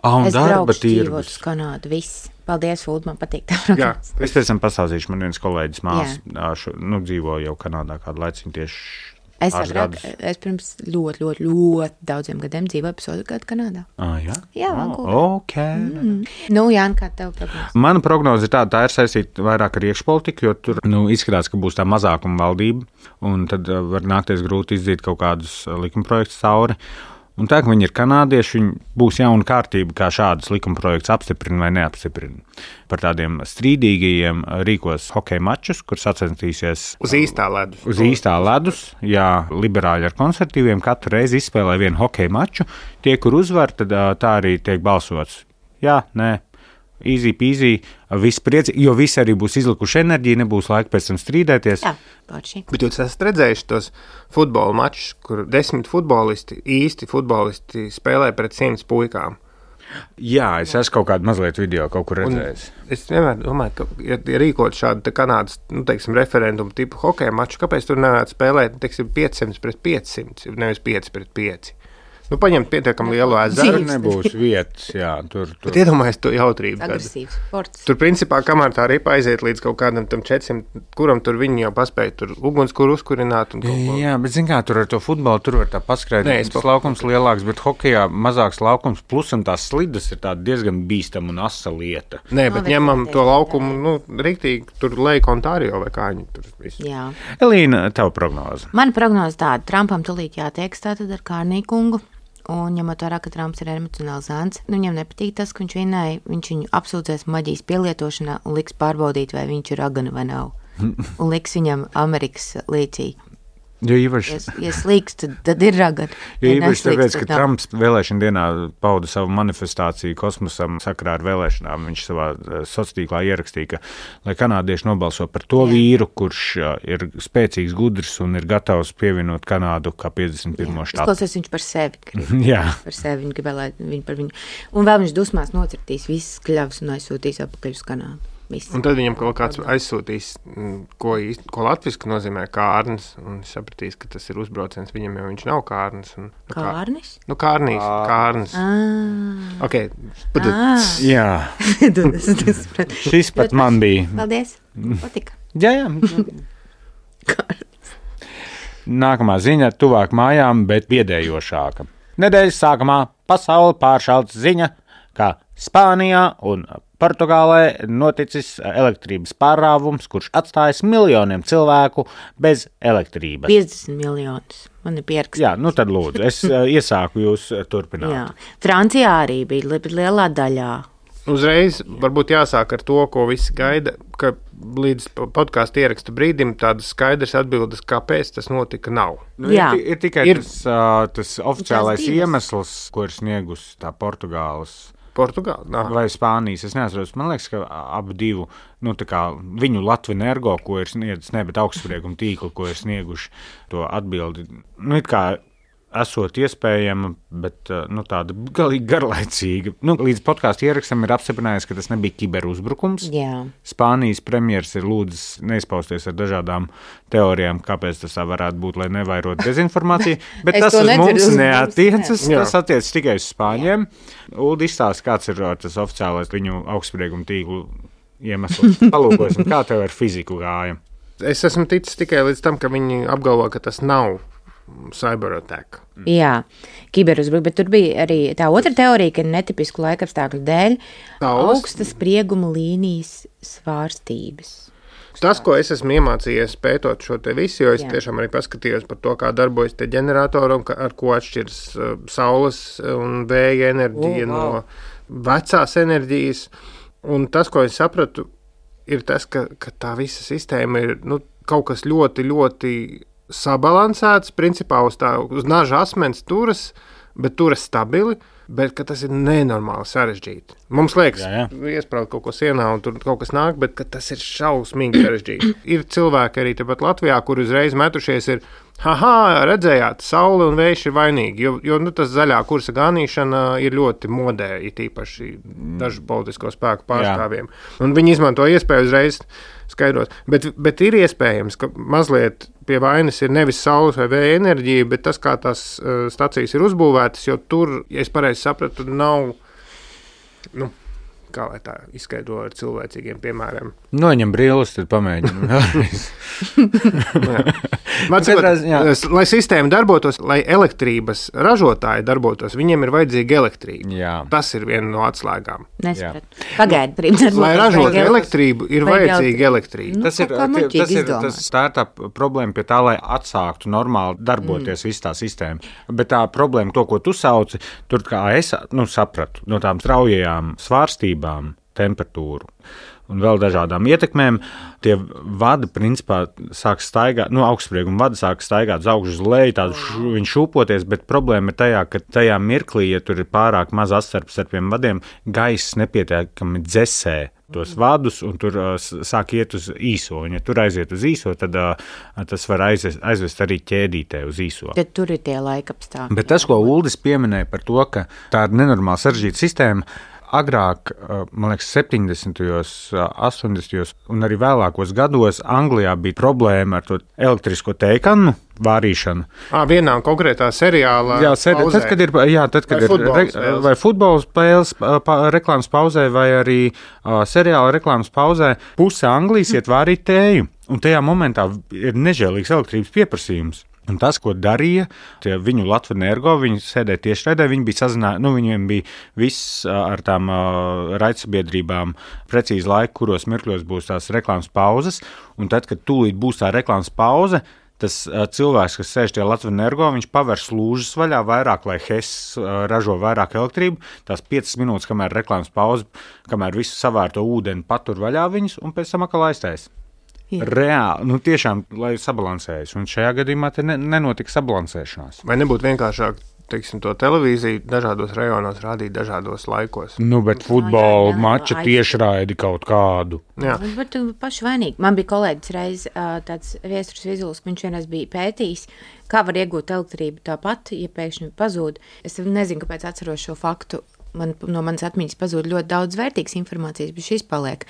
un es darba tirgus. Es braukšu uz Kanādu, viss. Paldies, Fuld, man patīk tā programmas. Es pēc tam pastāstīšu, man viens kolēģis māsa, nu, dzīvo jau Kanādā kādu laiciņu tieši Es, agrāk, es pirms ļoti, ļoti, ļoti daudziem gadiem dzīvoju pusotru gadu Kanādā. Ah, jā? Jā, Vankūverā. Oh, ok. Mm. Nu, Jāni, kā tev prognoze? Mana prognoze ir tāda, tā ir saistīta vairāk ar iekšpolitiku, jo tur nu, izskatās, ka būs tā mazākuma valdība, un tad var nākties grūti izdzīt kaut kādus likumprojektus cauri. Un tā, ka viņi ir kanādieši, viņi būs jauna kārtība, kā šādas likumprojektus apstiprina vai neapstiprina. Par tādiem strīdīgajiem rīkos hokeja mačus, kur sacenstīsies uz īstā ledus. Uz īstā ledus, jā, liberāļi ar konservatīviem katru reizi izspēlē vienu hokeja maču. Tie, kur uzvar, tad tā arī tiek balsots. Jā, nē. Easy peasy, viss priecīgi, jo visi arī būs izlikuši enerģiju, nebūs laika pēc tam strīdēties. Jā, pārši. Bet jūs esat redzējuši tos futbola mačus, kur desmit futbolisti, īsti futbolisti spēlē pret simts puikām. Jā, es esmu kaut kādu mazliet video kaut kur redzējis. Un es vienmēr domāju, ka, ja, ja rīkot šādu Kanādas, nu, teiksim, referendumu tipu hokeja maču, kāpēc tur nevarētu spēlēt, teiksim, piecsimt pret piecsimt, nevis pieci pret pieci? Nu, paņemt pietiekami lielu ezeru. Tur nebūs vietas, jā. Tur, tur. Bet iedomājies to jautrību. Agresīvs sports. Tur, principā, kamēr tā ripa aiziet līdz kaut kādam tam četrsimt, kuram tur viņi jau paspēja tur ugunskura uzkurināt. Un kaut ko. Jā, bet zin kā, tur ar to futbolu, tur var tā paskraidīt. Tas laukums lielāks, bet hokejā mazāks laukums, plus un tās slidas ir tāda diezgan bīstama un asa lieta. Nē, bet no, ņemam to laukumu, nu, riktīgi, tur Lake Ontario vai kā viņi tur visu. Jā. Elīna, tava prognoze? Mana prognoze tāda, Trumpam tulīt jātieks tātad ar Kārnī kungu. Un ņemot vērā, ka Trumps ir emocionāls zēns, nu viņam nepatīk tas, ka viņš vienai, viņš viņu apsūdzēs maģijas pielietošanā un liks pārbaudīt, vai viņš ir ragana vai nav. Un liks viņam Amerikas līcī. Jo īpaši, ja, ja slīks, tad, tad ir ragana. Jo īpaši tāpēc, ka Trumps vēlēšana dienā pauda savu manifestāciju kosmosam sakarā ar vēlēšanām. Viņš savā sociālā tīklā ierakstīja, ka, lai kanādieši nobalso par to Jā. vīru, kurš ir spēcīgs, gudrs un ir gatavs pievienot Kanādu kā piecdesmit pirmo štatu. Izklausies viņš par sevi. Jā. Par sevi viņš gribēja, viņu par viņu. Un vēl viņš dusmās nocirtīs visas kļavas un aizsūtīs atpakaļ uz Kanādu. Visi. Un tad viņam kaut kāds aizsūtīs, ko, īsti, ko latviski nozīmē kārnis, un sapratīs, ka tas ir uzbrauciens viņam, jo viņš nav kārnis. Un, nu, kārnis? Nu, kārnīs, kārnis. Ah. Ok, pat ah. Jā. Šis pat man bija. Paldies, patika. Jā, jā. Nākamā ziņa tuvāk mājām, bet biedējošāka. Nedēļas sākumā pasauli pāršalts ziņa, ka Spānijā un Portugālē noticis elektrības pārrāvums, kurš atstājis miljoniem cilvēku bez elektrības. piecdesmit miljonus. Man ir pierakstīts. Jā, nu tad lūdzu, es iesāku jūs turpināt. Jā. Francijā arī bija lielā daļā. Uzreiz varbūt jāsāk ar to, ko visi gaida, ka līdz podkāstu ieraksta brīdim tādas skaidras atbildes, kāpēc tas notika, nav. Nu, ir, ir tikai ir, tas, uh, tas oficiālais iemesls, ko ir sniegus tā Portugāles. Portugāla? Nā. Vai Spānijas, es neatceros. Man liekas, ka abu divu, nu tā kā viņu Latvenergo, ko ir sniedzis, ne, bet augstsprieguma tīklu, ko ir snieguši to atbildi. Nu, it kā esot iespējama, bet nu, tāda galīgi garlaicīga. Nu, līdz podkāstu ierakstam ir apstiprinājis, ka tas nebija kiberuzbrukums. Jā. Spānijas premjers ir lūdzis neizpausties ar dažādām teorijām, kāpēc tas tā varētu būt, lai nevairotu dezinformāciju, bet tas uz mums neatiecas, tas attiecas tikai uz Spāņiem. Uldi izstāsta, kāds ir tas oficiālais viņu augstsprieguma tīklu iemesls. Palūkosim, kā tev ar fiziku gāja. Es esmu ticis tikai līdz tam, ka viņi apgalvo, ka tas nav cyberattack. Mm. Jā, kiberuzbruk, bet tur bija arī tā otra teorija, ka netipisku laikapstākļu dēļ Taulas. Augstas sprieguma līnijas svārstības. Tas, ko es esmu iemācījies pētot šo te visu, jo es Jā. tiešām arī paskatījos par to, kā darbojas tie ģeneratori un ar ko atšķiras uh, saules un vēja enerģija oh, wow. no vecās enerģijas. Un tas, ko es sapratu, ir tas, ka, ka tā visa sistēma ir nu, kaut kas ļoti, ļoti sabalansēts, principā uz, tā, uz naža asmens turas, bet turas stabili, bet ka tas ir nenormāli sarežģīti. Mums liekas, jā, jā. iesprāut kaut ko sienā un tur kaut kas nāk, bet ka tas ir šausmīgi sarežģīti. Ir cilvēki arī tepat Latvijā, kur uzreiz metušies ir, haha, redzējāt, saule un vējš ir vainīgi, jo, jo nu, tas zaļā kursa ganīšana ir ļoti modē, it īpaši dažu politisko spēku pārstāvjiem. Jā. Un viņi izmanto iespēju uzreiz skaidrot. Bet, bet ir iespējams, ka mazliet pie vainas ir nevis saules vai vēja enerģija, bet tas, kā tās uh, stacijas ir uzbūvētas, jo tur, ja es pareizi sapratu, nav, nu, kā lai tā izskaidro ar cilvēcīgiem piemēriem. Noņem brīlis, tad pamēģinam vēlreiz. Mācot, lai sistēma darbotos, lai elektrības ražotāji darbotos, viņiem ir vajadzīga elektrība. Jā. Tas ir viena no atslēgām. Nespratu. Pagaid, darbotos. Lai ražot elektrību, ir vajadzīga elektrība. Nu, tas ir, tas ir tas, tā ir tā problēma pie tā, lai atsāktu normāli darboties mm. viss tā sistēma. Bet tā problēma, to, ko tu sauci, tur kā es nu, sapratu, no tām straujajām svārstībām, temperatūru un vēl dažādām ietekmēm, tie vadi, principā, sāk staigāt, nu, augstsprieguma vadi sāk staigāt uz augšu uz leju, tādu š, viņš šūpoties, bet problēma ir tajā, ka tajā mirklī, ja tur ir pārāk maz astarps ar tiem vadiem, gaiss nepietiekami dzesē tos vadus, un tur uh, sāk iet uz īso, un ja tur aiziet uz īso, tad uh, tas var aizvest, aizvest arī ķēdītē uz īso. Tad tur ir tie laikapstākļi. Bet tas, ko Uldis pieminēja par to, ka tā ir nenormāli sarežģīta sistēma, agrāk, man liekas, septiņdesmitajos, astoņdesmitajos un arī vēlākos gados Anglijā bija problēma ar to elektrisko teikanu vārīšanu. À, vienā konkrētā seriālā jā, seri, tad, kad ir, jā, tad, kad vai ir re, vai futbola spēles pa, reklāmas pauzē vai arī uh, seriāla reklāmas pauzē, puse Anglijas iet vārīt tēju. Un tajā momentā ir nežēlīgs elektrības pieprasījums. Un tas, ko darīja, tie viņu Latvenergo, viņi sēdēja tiešraidē, viņi bija sazinājuši, nu, viņiem bija viss ar tām uh, raidsabiedrībām precīzi laika, kuros mirkļos būs tās reklāmas pauzes, un tad, kad tūlīt būs tā reklāmas pauze, tas uh, cilvēks, kas sēž tie Latvenergo, viņš paver slūžas vaļā vairāk, lai Hess uh, ražo vairāk elektrību, tās piecas minūtes, kamēr reklāmas pauze, kamēr visu savērto ūdeni patur vaļā viņus, un pēc tam atkal aiztais. Jā. Reāli, nu tiešām, lai sabalansējas, un šajā gadījumā te ne, nenotika sabalansēšanās. Vai nebūtu vienkāršāk, teiksim, to televīziju dažādos rajonos rādīt dažādos laikos? Nu, bet futbola mača tiešraidi kaut kādu. Jā. Bet paši vainīgi. Man bija kolēģis reiz tāds Viesturs Vizuls, viņš vienreiz bija pētījis, kā var iegūt elektrību tāpat, ja pēkšņi pazūd. Es nezinu, kāpēc atceros šo faktu. Man, no manas atmiņas pazūd ļoti daudz vērtīgas informācijas, bet šis paliek,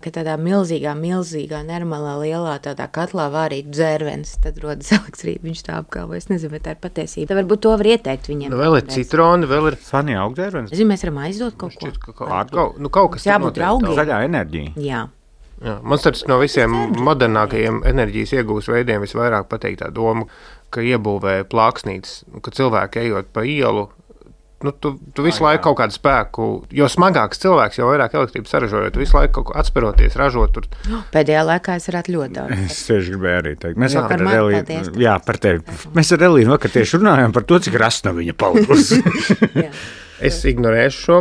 ka tādā milzīgā, milzīgā, nenormālā, lielā tādā katlā vārīt dzērvenes, tad rodas elektrība, viņš tā apgalvo. Es nezinu, vai tā ir patiesība. Tā varbūt to var ieteikt viņiem. Nu, vēl ir citroni, vēl ir Sanī augdzērvenes. Es zinu, mēs varam aizdot kaut ko. Šķiet, ka kaut, kaut, nu, kaut kas jābūt draugiem. Zaļā enerģija. Jā. Jā, man starp no visiem modernākajiem enerģijas iegūs veidiem visvairāk patīk tā doma, ka iebūvē plāksnītes, ka cilvēki ejot pa ielu, nu, tu, tu visu Ai, laiku kaut kādu spēku, jo smagāks cilvēks, jo vairāk elektrības saražojot, tu visu laiku kaut ko atsperoties, ražot. Tur. Pēdējā laikā es varētu ļoti daudz. Es tieši gribēju arī teikt. Mēs Jā, ar man Elīnu, paldies. jā, par tevi. Mēs ar Elīnu vakar tieši runājām par to, cik rasna viņa palikusi. Es ignorēšu šo,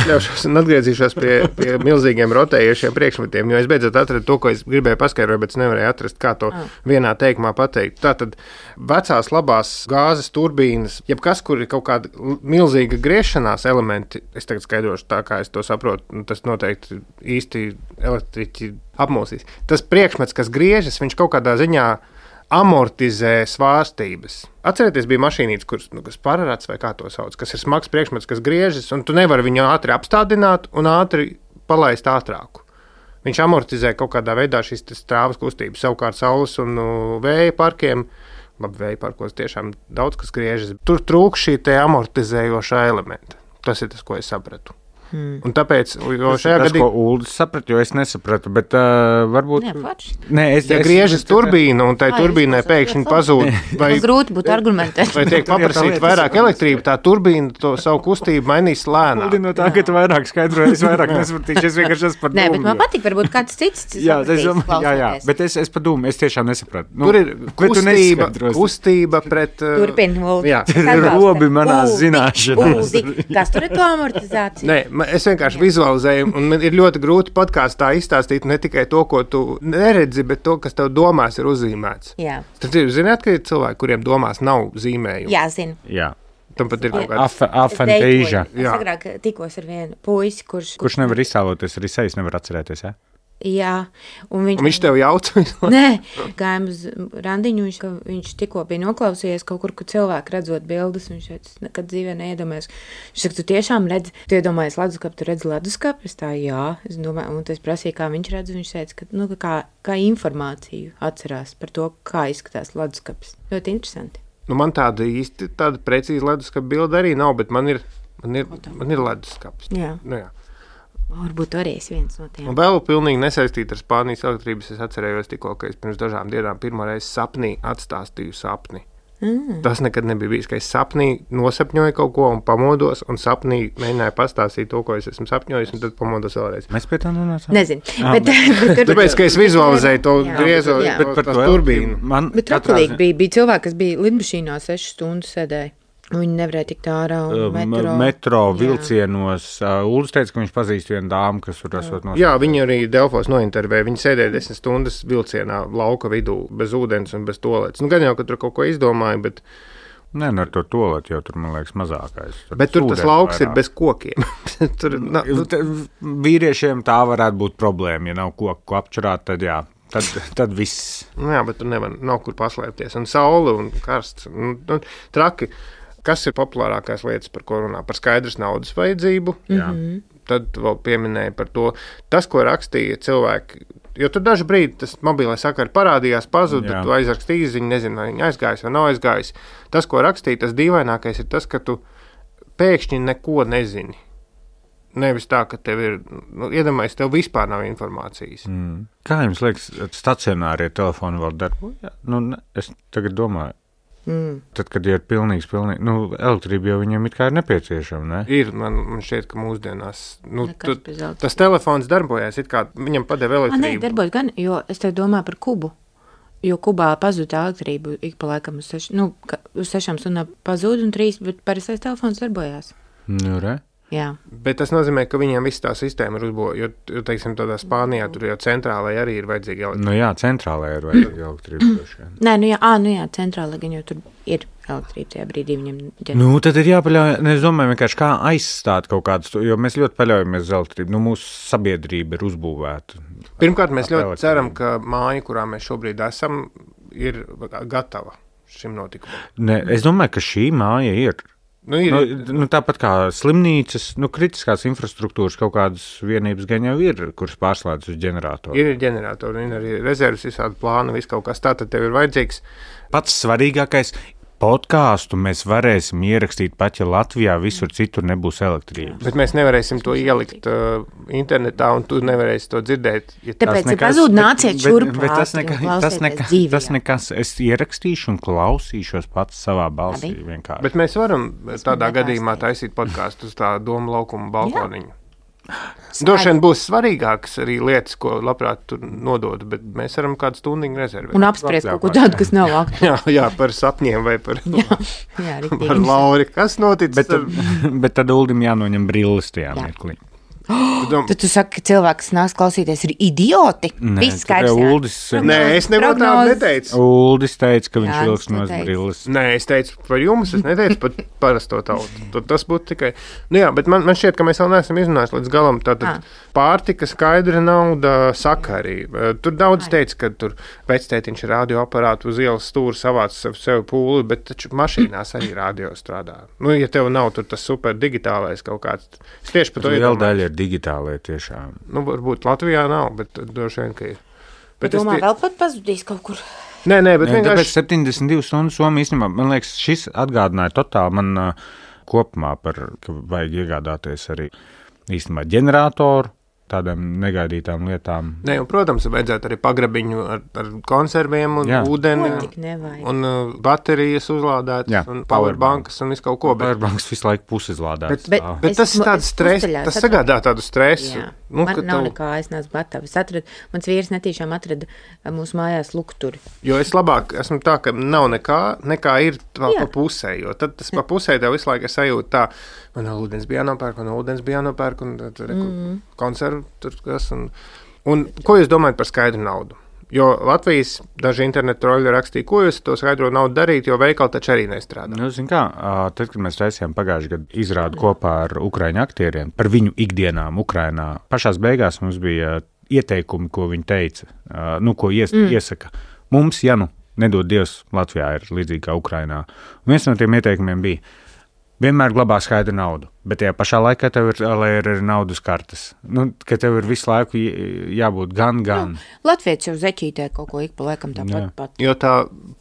ļaušos un atgriezīšos pie, pie milzīgiem rotējušiem priekšmetiem, jo es beidzot atradu to, ko es gribēju paskaidrot, bet es nevarēju atrast, kā to oh. vienā teikumā pateikt. Tātad vecās labās gāzes turbīnas, jebkas, kur ir kaut kāda milzīga griešanās elementi, es tagad skaidrošu tā, kā es to saprotu, tas noteikti īsti elektriķi apmūsīs. Tas priekšmets, kas griežas, viņš kaut kādā ziņā amortizē svārstības. Atcerieties, bija mašīnītes, kuras, nu, kas pararats vai kā to sauc, kas ir smags priekšmets, kas griežas, un tu nevari viņu ātri apstādināt un ātri palaist ātrāku. Viņš amortizē kaut kādā veidā šīs strāvas kustības. Savukārt saules un nu, vēja parkiem, labi, vēja parkos tiešām daudz kas griežas. Tur trūk šī te amortizējošā elementa. Tas ir tas, ko es sapratu. Hmm. Un tāpēc, jo tas šajā tas, gadījumā... ko Uldis saprata, jo es nesapratu, bet uh, varbūt... Nē, paši. Nē, es, ja es, griežas es, turbīna un tai Ai, turbīnai pēkšņi pazūd, vai, grūti būtu argumentēt. vai tiek paprasīt vairāk elektrību, tā turbīna to savu kustību mainīs lēnāk. Uldis no tā, ka tu vairāk skaidroji, es vairāk nesapratīšu, es vienkārši esmu par Nē, dūmu. bet man patīk, varbūt kāds cits Jā, es, sapratīs, jā, jā, bet es, es par dūmu, es tiešām nesapratu. Nu, Tur ir kustība, kustība pret... Uh, Turpin, Uldi. jā. Robi manās Uldi, zināšanās. Uldi, kas tur ir to amortizācija? Nē, ma- es vienkārši vizualizēju, un man ir ļoti grūti podkāstā izstāstīt ne tikai to, ko tu neredzi, bet to, kas tev domās ir uzzīmēts. Jā, Tad jūs zināt, ka ir cilvēki, kuriem domās nav zīmējumu. jā, zinu. Jā, Tam pat ir kaut kāds... Af- afantīža. Es Jā. agrāk tikos ar vienu puisi, kurš... Kurš nevar izsāloties, arī sejas nevar atcerēties, ja? Jā, un viņš... Un viņš tev jauca. Nē, gājām uz randiņu, viņš, ka viņš tikko bija noklausījies kaut kur, kur cilvēki redzot bildes, viņš teica, es nekad dzīvē neiedomājos. Viņš saka, tu tiešām redzi, tu iedomājies leduskapu, tu redzi leduskapu? Es tā, jā, es domāju, un es prasīju, kā viņš redz, un viņš teica, ka, nu, kā, kā informāciju atcerās par to, kā izskatās leduskapis. Ļoti interesanti. Nu, man tāda īsti, tāda precīza leduskapa bilde arī nav, bet man ir, man ir, man ir leduskaps. Jā. Nu, jā. Varbūt arī es viens no tiem. Un vēl pilnīgi nesaistīta ar Spānijas elektrības, es atcerējos tikko, ka es pirms dažām dienām pirmo reizi sapnī atstāstīju sapni. Mm. Tas nekad nebija bijis, ka es sapnī nosapņoju kaut ko un pamodos, un sapnī mēģināju pastāstīt to, ko es esmu sapņojis, un tad pamodos vēlreiz. Mēs pie tā nonācām? Nezinu. Ah, bet, bet, tur, Tāpēc, ka es vizualizēju to Jā. griezo, Jā. to, to turbīnu. Man bet trakulīgi bija, bija cilvēki, kas bija lidmašīnā sešas stundas sēdēja. Viņi nevarēja tikt ārā un metro. Metro vilcienos. Uh, Uldis teica, ka viņš pazīst vienu dāmu, kas tur esot nosaukt. Jā, viņi arī Delfos nointervēja. Viņi sēdēja desmit stundas vilcienā lauka vidū, bez ūdens un bez toaletes. Nu, gan jau, ka tur kaut ko izdomāja, bet... Nē, no ar to toaleti jau tur, man liekas, mazākais. Tur Bet tur tas lauks vairāk. Ir bez kokiem. tur, na, nu, vīriešiem tā varētu būt problēma, ja nav koku, ko apčurāt, tad jā. Tad, tad viss. Nu, jā, bet tur nevar, nav kur paslēpties. Un saule un karsts. Un, un, traki. Kas ir populārākās lietas, par ko runā? Par skaidras naudas vajadzību. Mm-hmm. Tad vēl pieminēja par to, tas, ko rakstīja cilvēki. Jo tur dažu brīdi tas mobilais sakari parādījās, pazuda, tu aizrakstīji ziņu, nezinu, vai viņi aizgājis vai nav aizgājis. Tas, ko rakstīja, tas dīvainākais ir tas, ka tu pēkšņi neko nezini. Nevis tā, ka tev ir, nu, iedomājies, tev vispār nav informācijas. Mm. Kā jums liekas, stacionārie telefoni vēl darbojas? Nu, ne, es tagad domāju. Mm. Tad, kad ir pilnīgs, pilnīgs, nu, elektrība jau viņam it kā ir nepieciešama, ne? Ir, man, man šķiet, ka mūsdienās, nu, tu, tas telefons darbojas, it kā viņam padeva elektrību. A, nē, darbojas gan, jo es te domāju par Kubu, jo Kubā pazūd elektrību ik pa laikam uz, seš, nu, uz sešām stundām pazūd un trīs, bet parastais telefons darbojās. Nu, re? Jā. Bet tas nozīmē, ka viņiem viss tā sistēma ir uzbūvēta, jo, jo, teiksim, tādā Spānijā tur jau centrālai arī ir vajadzīga elektrība. Nu jā, centrālai ir vajadzīga elektrība. Nē, nu jā, ā, nu jā, centrālai gan jau tur ir elektrība tajā brīdī viņam. Ģen... Nu, tad ir jāpaļauj, ne, es domāju, vienkārši kā aizstāt kaut kādus, jo mēs ļoti paļaujamies uz elektrību. Nu, mūsu sabiedrība ir uzbūvēta. Pirmkārt, mēs ļoti elektrību. Ceram, ka māja, kurā mēs šobrīd esam, ir gatava šim notikumam. Ne, es domāju, ka šī māja ir. Nu, ir. Nu, nu, tāpat kā slimnīcas, nu, kritiskās infrastruktūras kaut kādas vienības gan jau ir, kuras pārslēdz uz ģeneratoru. Ir ģeneratori, ir arī rezerves, visādi plāni, viss kaut kas tā, tad tev ir vajadzīgs. Pats svarīgākais podkāstu mēs varēsim ierakstīt pat, ja Latvijā visur citur nebūs elektrības. Bet mēs nevarēsim to ielikt uh, internetā, un tu nevarēsi to dzirdēt. Ja Tāpēc ir pazūd, nāciet šurp. Bet, bet tas, neka, tas, neka, tas nekas, es ierakstīšu un klausīšos pats savā balsī vienkārši. Bet mēs varam es tādā gadījumā taisīt podkāstu uz tā Doma laukuma balkoniņu. Droši vien būs svarīgākas arī lietas, ko labprāt tur nododu, bet mēs varam kādu stundiņu rezervēt. Un apspriest kaut ko tādu, kas nav aktuāli. jā, jā, par sapņiem vai par, jā, jā, par Lauri. Kas noticis? Bet, ar... bet tad Uldim jānoņem brilles tajā mirklī. Oh, tad tu saki, ka cilvēki, kas nāks klausīties, ir idioti? Nē, Viss skaidrs. Uldis, Nē, es nevaru tādu neteicu. Uldis teica, ka viņš vilks no brilles. Nē, es teicu par jums, es neteicu par parasto tautu. Tas būtu tikai... Nu jā, bet man, man šķiet, ka mēs vēl neesam izrunājuši līdz galam. Tātad ah. pārtika, skaidra nauda, sakari. Tur daudz teica, ka tur vectētiņš radioaparātu uz ielas stūra savāc sev pūli, bet taču mašīnās arī radio strādā. Nu, ja tev nav tur tas super digitālais kaut kāds... Es tieši par to iedomāju. Digitālajā tiešām. Nu, varbūt Latvijā nav, bet droši vien, ka ir. Bet, bet domā, tie... vēl pat pazudīs kaut kur. Nē, nē, bet nē, vienkārši... Tāpēc septiņdesmit divas stundas Somija īstenībā, man liekas, šis atgādināja totāli man uh, kopumā par, ka vajag iegādāties arī īstenībā ģeneratoru, tādām negaidītām lietām. Nē, un, protams, vajadzētu arī pagrabiņu ar, ar konserviem un jā. ūdeni un uh, baterijas uzlādētas jā. un powerbankas un visu kaut ko. Bet... Powerbankas visu laiku pusizlādētas. Bet, bet, bet tas ir tāds stress, tas sagādā tādu stresu. Nu, man nav tev... nekā, es neesmu gatava. Es atradu, mans vīrs netīšām atrada mūsu mājās lukturi. Jo es labāk esmu tā, ka nav nekā, nekā ir vēl pa pusē, jo tad tas pa pusē tev visu laiku sajūt tā, man ūdens bija jānopērk, man ūdens bija jānopērk un tad mm. konservu tur kas. Un, un ko jūs domājat par skaidru naudu? Jo Latvijas daži internetu troļi rakstīja, ko jūs to skaidro naudu darīt, jo veikali taču arī nestrādā. Nu, zin kā, tad, kad mēs taisījām pagājuši gadu izrādu kopā ar ukraiņu aktieriem par viņu ikdienām Ukrainā, pašās beigās mums bija ieteikumi, ko viņi teica, nu, ko ies, mm. iesaka. Mums, ja nu, nedod Dievs, Latvijā ir līdzīgi kā Ukrainā. Un viens no tiem ieteikumiem bija, vienmēr glabā skaidru naudu, bet tajā pašā laikā tev ir, lai ir arī naudas kartes. Nu, ka tev ir visu laiku jābūt gan, gan. Nu, Latvijas jau zeķītē kaut ko ik pa laikam tāpat pat. Jo tā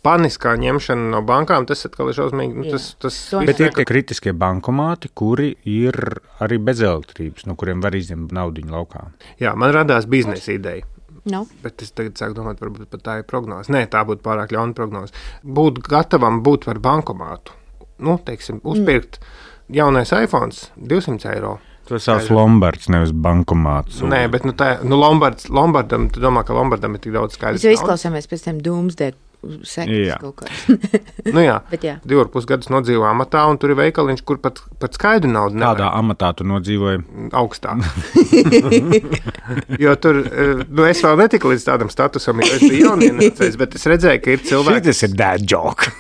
paniskā ņemšana no bankām, tas atkal ir šausmīgi. Nu, tas, tas bet ir tie kritiskie bankomāti, kuri ir arī bez elektrības, no kuriem var izņemt naudiņu laukā. Jā, man radās biznesa ideja. No. Bet es tagad sāku domāt, varbūt pat tā ir prognoze. Nē, tā būtu pārāk ļauna prognoze. Būt gatavam būt par bankomātu. Nu, teiksim, uzpirkt mm. jaunais iPhones divsimt eiro. Tas savs Lombards, nevis bankomāts. Nē, bet nu, tā, nu Lombards, Lombardam, tu domā, ka Lombardam ir tik daudz skaidrs. Mēs jau izklausāmies pēc tiem Doomsday sekas kaut kāds. Nu jā, jā. divi ar pus gadus nodzīvo amatā, un tur ir veikaliņš, kur pat, pat skaidru naudu nevar. Kādā amatā tu nodzīvoji? Augstā. Jo tur, nu es vēl netiku līdz tādam statusam, jo es biju jaunienācējs, bet es redzēju, ka ir cilvēki... Šitas ir dad joke.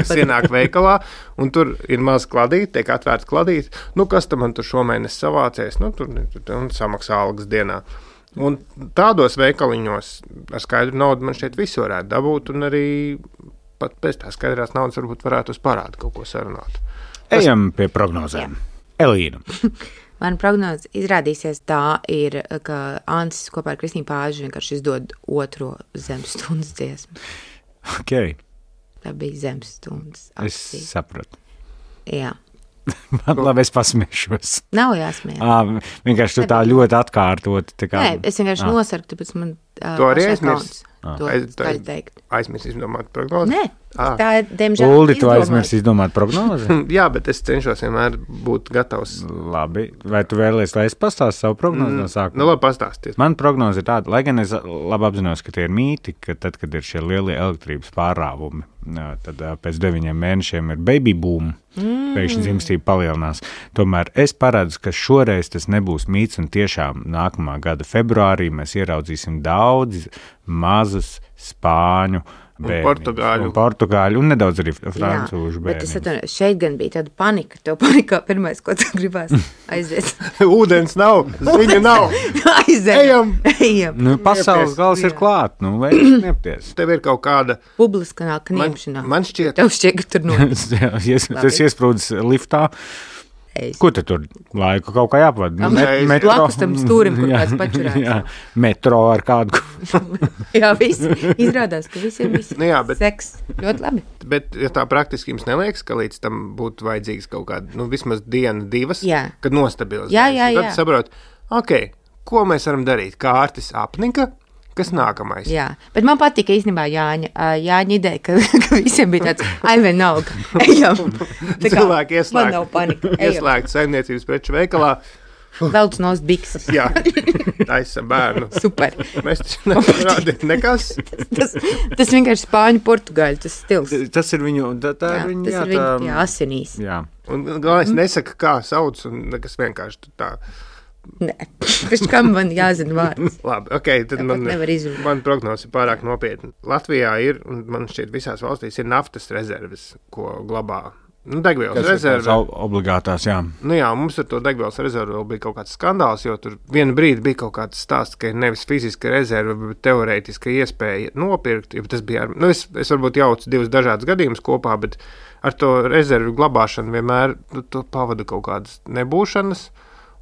Kas ienāk veikalā, un tur ir maz kladīt, tiek atvērts kladīt. Nu, kas tam man tur šomēnes savācies? Nu, tur un samaksā algas dienā. Un tādos veikaliņos ar skaidru naudu man šeit visu varētu dabūt, un arī pat pēc tā skaidrās naudas varbūt varētu uz parādu kaut ko sarunāt. Tas... Ejam pie prognozēm. Elīna. Man prognoze izrādīsies tā ir, ka Ancis kopā ar Kristīnu Pāžu vienkārši izdod otro zemstundas dziesmu. Ok. Tā bija zemstundas akcija. Es sapratu. Jā. Man labi, es pasmiešos. Nav jāsmējās. À, vienkārši tu tā ļoti atkārtot. Tā kā... Nē, es vienkārši à. nosarku, tāpēc man uh, to arī aizmirst. To skaļi teikt. Aizmirst izdomāt prognozi? Nē, à. tā ir, diemžēl, Uldi, tu aizmirst izdomāt prognozi? Jā, bet es cenšos vienmēr būt gatavs. Labi, vai tu vēlies, lai es pastāstu savu prognozi no sākuma? Nu, labi, pastāstiet. Man prognoze ir tāda, lai gan es labi apzinos, ka tie ir mīti, ka tad, kad ir šie lielie elektrības pārāvumi, tad pēc deviņiem mēnešiem ir baby boom, mm. pēkšņi dzimstība palielinās. Tomēr es paredzu, ka šoreiz tas nebūs mīts, un tiešām nākamā gada februārī mēs ieraudzīsim daudz mazus spāņu bērniņus. Portugāļu. Un portugāļu, un nedaudz arī francūžu bērniņus. Bet es atvainojos, šeit gan bija tāda panika. Tev panikā pirmais, ko tu gribās aiziet. Ūdens nav, ziņu nav. Aizējam. Ejam. Ejam. Nu, pasaules gals ir klāt, nu, vai niepties. Tev ir kaut kāda... Publiskā kniepšanā. Man, man šķiet... Tev šķiet, ka tur notiek. Tas iesprūdis liftā. Ko te tur laiku kaut kā jāpavada? Met- metro. Blakus tam stūrim, kur Jā, kāds pačurās. jā, metro ar kādu. Jā, viss izrādās, ka visiem viss Nu jā, bet- seks. Ļoti labi. Bet, ja tā praktiski jums neliekas, ka līdz tam būtu vajadzīgs kaut kāda, nu, vismaz diena, divas, Jā. kad nostabilizēs. Jā, jā, jā. Tad saprot, ok, ko mēs varam darīt? Kārtis apnika, kas nākamais? Jā, bet man patika īstenībā Jāņa, ā, Jāņa ideja, ka, ka visiem bija tāds, ai vienalga, ejam. Tā kā, Cilvēki man ieslēgt, nav panika, ejam. ieslēgt saimniecības preču veikalā. Velc nost bikses. Jā, taisa bērnu. Super. Mēs taču nevaram rādīt nekas. Tas, tas vienkārši spāņu portugāļu, tas stils. Tas ir viņu, tā, tā Jā, ir viņu, tas jā, ir viņu tā, jā, asinīs. jā. Un galvenais nesaka, kā sauc, un nekas vienkārši tu tā. Nē, pēc kam man jāzina vārds. Labi, ok, tad Tāpat man, nevar izrunāt. man prognoze ir pārāk nopietna. Latvijā ir, un man šķiet visās valstīs ir naftas rezerves, ko glabā. Nu, degvielas Tas ir rezerve. tās ob- obligātās, jā. Nu jā, mums ar to degvielas rezervi vēl bija kaut kāds skandāls, jo tur vienu brīdi bija kaut kāds stāsts, ka ir nevis fiziska rezerve, bet teorētiska iespēja nopirkt. Jo tas bija, ar, nu es, es varbūt jaucu divus dažādus gadījumus kopā, bet ar to rezervi glabāšanu vienmēr nu, tu pavada kaut kādas nebūšanas.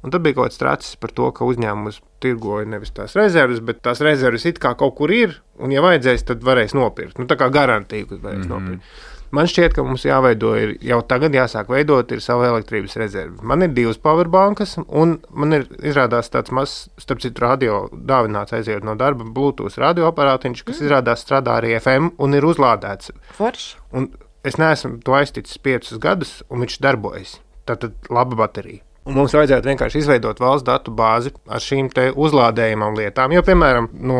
Un tad bija kaut kāds tracis par to, ka uzņēmums tirgoja nevis tās rezerves, bet tās rezerves it kā kaut kur ir, un ja vajadzēs, tad varēs nopirkt. Nu tā kā garantija, ka varēs mm-hmm. nopirkt. Man šķiet, ka mums jāveido, ir, jau tagad jāsāk veidot ir savu elektrības rezervi. Man ir divas powerbankas, un man ir izrādās tāds mazs, starp citu, radio dāvināts aizejot no darba, Bluetooth radioaparātiņš, kas mm. izrādās strādā arī F M un ir uzlādēts. Forši. Un es neesmu to aizticis piecus gadus, un viņš darbojas. Tātad laba baterija. Un mums vajadzētu vienkārši izveidot valsts datu bāzi ar šīm te uzlādējumām lietām. Jo, piemēram, no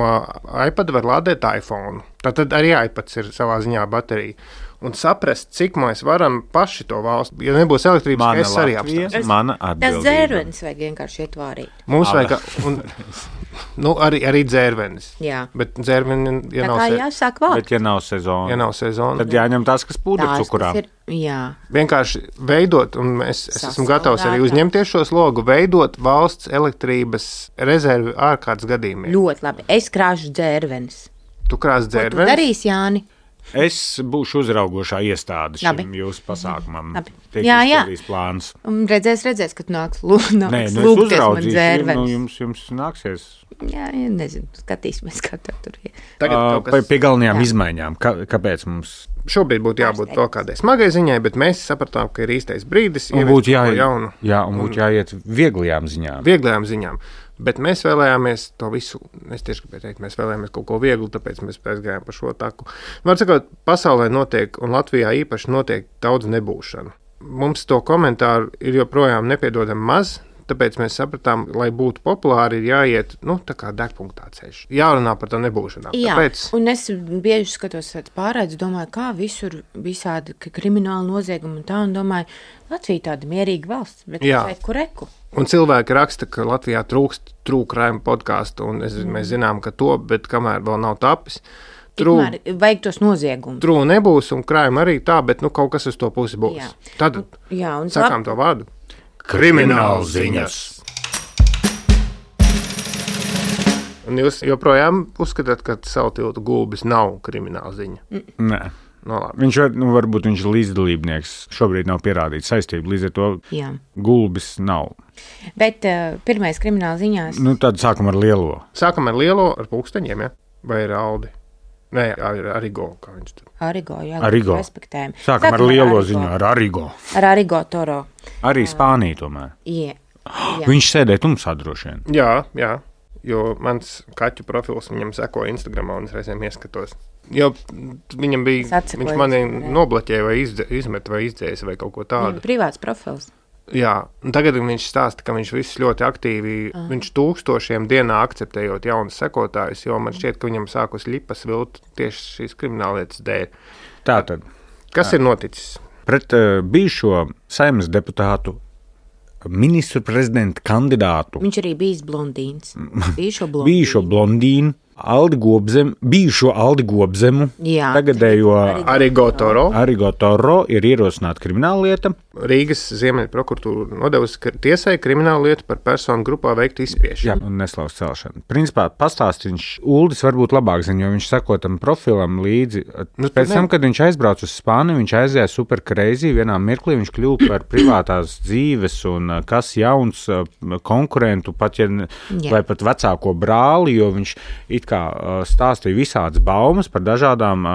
iPad var lādēt iPhone. Tātad arī iPads ir savā ziņā baterija. Un saprast, cik mēs varam paši to valsts. Ja nebūs elektrības, Mana es arī Latvija, apstāstu. mana Tas atbildība. dzērvenis vajag vienkārši ietvārīt. Mums Aba. vajag, un, nu, arī, arī dzērvenis. Jā. Bet dzērveni, ja Tā nav, kā se, jāsāk vākt. Bet, ja nav sezona, ja nav sezona, tad jāņem tās, kas pūda Tās, cukurā. kas ir, jā. vienkārši veidot, un es, es esmu Sasaldētā. gatavs arī uzņemties šo slogu, veidot valsts elektrības rezervi ārkārtas gadījumiem. Ļoti labi. Es krāšu dzērvenis. Tu krās Ko tu dzērvenis? darīsi, Jāni? Es būšu uzraugošā iestāde Labi. šim jūsu pasākumam. Labi. Tiek Jā, jā. izpildīts plāns. Un redzēs, redzēs, kad nāks lū- Nē, nāks nu es lūgties man uzraudzīšu, nu, dzērvenis. jums, jums nāksies Jā, jā, nezinu, skatīsimies, kā tā tur ir. Tagad uh, kaut kas- pie galvenajām Jā. izmaiņām. Kā, kāpēc mums Šobrīd būtu jābūt vēl kādai smagai ziņai, bet mēs sapratām, ka ir īstais brīdis un ieviest būtu kaut jā, ko jaunu, jā, un būtu jāiet vieglajām ziņām? vieglajām ziņām. Bet mēs vēlējāmies to visu, es tieši gribēju teikt, mēs vēlējāmies kaut ko vieglu, tāpēc mēs aizgājām pa šo taku. Var sakot, pasaulē notiek, un Latvijā īpaši notiek daudz nebūšanu. Mums to komentāru ir joprojām nepiedodami maz, tāpēc mēs sapratām, lai būtu populāri, ir jāiet, nu, tā kā degpunktā ceļš. Jārunā par to nebūšanām. Jā, Tāpēc un es bieži skatos pārēdus, domāju, kā visur visādi ka krimināli noziegumi un tā, un domāju, Latvija tāda mierīga valsts, bet Jā. reku, reku. Un cilvēki raksta, ka Latvijā trūkst trūkrājuma podkāstu, un es, mm. mēs zinām, ka to, bet kamēr vēl nav tapis, trū, Tikmēr vajag tos noziegumus. trū nebūs, un krājuma arī tā, bet nu, kaut kas uz to pusi būs. Jā. Tad Jā, un sakām to vārdu. Kriminālziņas. Un jūs joprojām uzskatāt, ka savu tiltu gulbis nav krimināla ziņa. Nē. No, labi. Viņš var, nu, varbūt viņš ir līdzdalībnieks. Šobrīd nav pierādīta saistība, līdz ar to Jā. gulbis nav. Bet uh, pirmais krimināla ziņās. Nu, tad sākam ar lielo. Sākam ar lielo, ar pulksteņiem, ja? Vai ar Aldi? Nē, ar Arigo, kā viņš tur. Arigo, jā, Arigo. respektējam. Sākam ar lielo ziņu, ar Arigo. Ar Arigo Toro. Arī Spānija tomēr. Jā. Jā. Viņš sēdēja tumsā droši vien. Jā, jā, jo mans kaķu profils viņam seko Instagramā, un es reizēm ieskatos. Jo viņam bija, Es atsekoju viņš mani Instagramā. nobloķēja vai izdze, izmet vai izdzēs vai kaut ko Viņam tādu. privāts profils. Jā, un tagad viņš stāsta, ka viņš viss ļoti aktīvi, uh. viņš tūkstošiem dienā akceptējot jaunus sekotājus, jo man šķiet, ka viņam sākus lipas vilt tieši šīs krimināllietas dēļ. Tātad Kas ir noticis? pret uh, bijušo Saeimas deputātu ministru prezidenta kandidātu Viņš arī bijis blondīns. Bijušo blondīnu. bijušo blondīnu Aldi Gobzem, bijušo Aldi Gobzemu, Jā, tagadējo Arrigo Toro. Arrigo Toro ir ierosināta krimināla lieta. Rīgas Ziemeļu prokuratūra nodevusi tiesai kriminālu lietu par personu grupā veiktu izspiešanu. Jā, un neslaus celšanu. Principā pastāstīns Uldis varbūt labāk zina, jo viņš sako tam profilam līdzi. Nu, Pēc tam, kad viņš aizbrauca uz Spāniju, viņš aizgāja super crazy, vienā mirklī viņš kļuva par privātās dzīves un kas jauns konkurentu, pat ja, vai pat vecāko brāli, jo viņš it kā stāstīja visādas baumas par dažādām...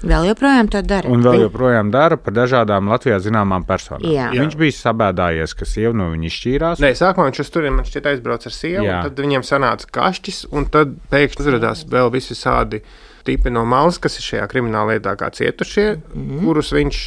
Vēl joprojām to dara. Un vēl joprojām dara par dažādām Latvijā zināmām personām. Jā. Viņš bija sabēdājies, ka sieva no viņa izšķīrās. Nē, sākumā viņš uz turieni man šķiet aizbrauc ar sievu, Jā. tad viņiem sanāca kašķis, un tad pēkšņi uzradās vēl visi sādi tipi no malas, kas ir šajā krimināla lietā kā cietušie, mm-hmm. kurus viņš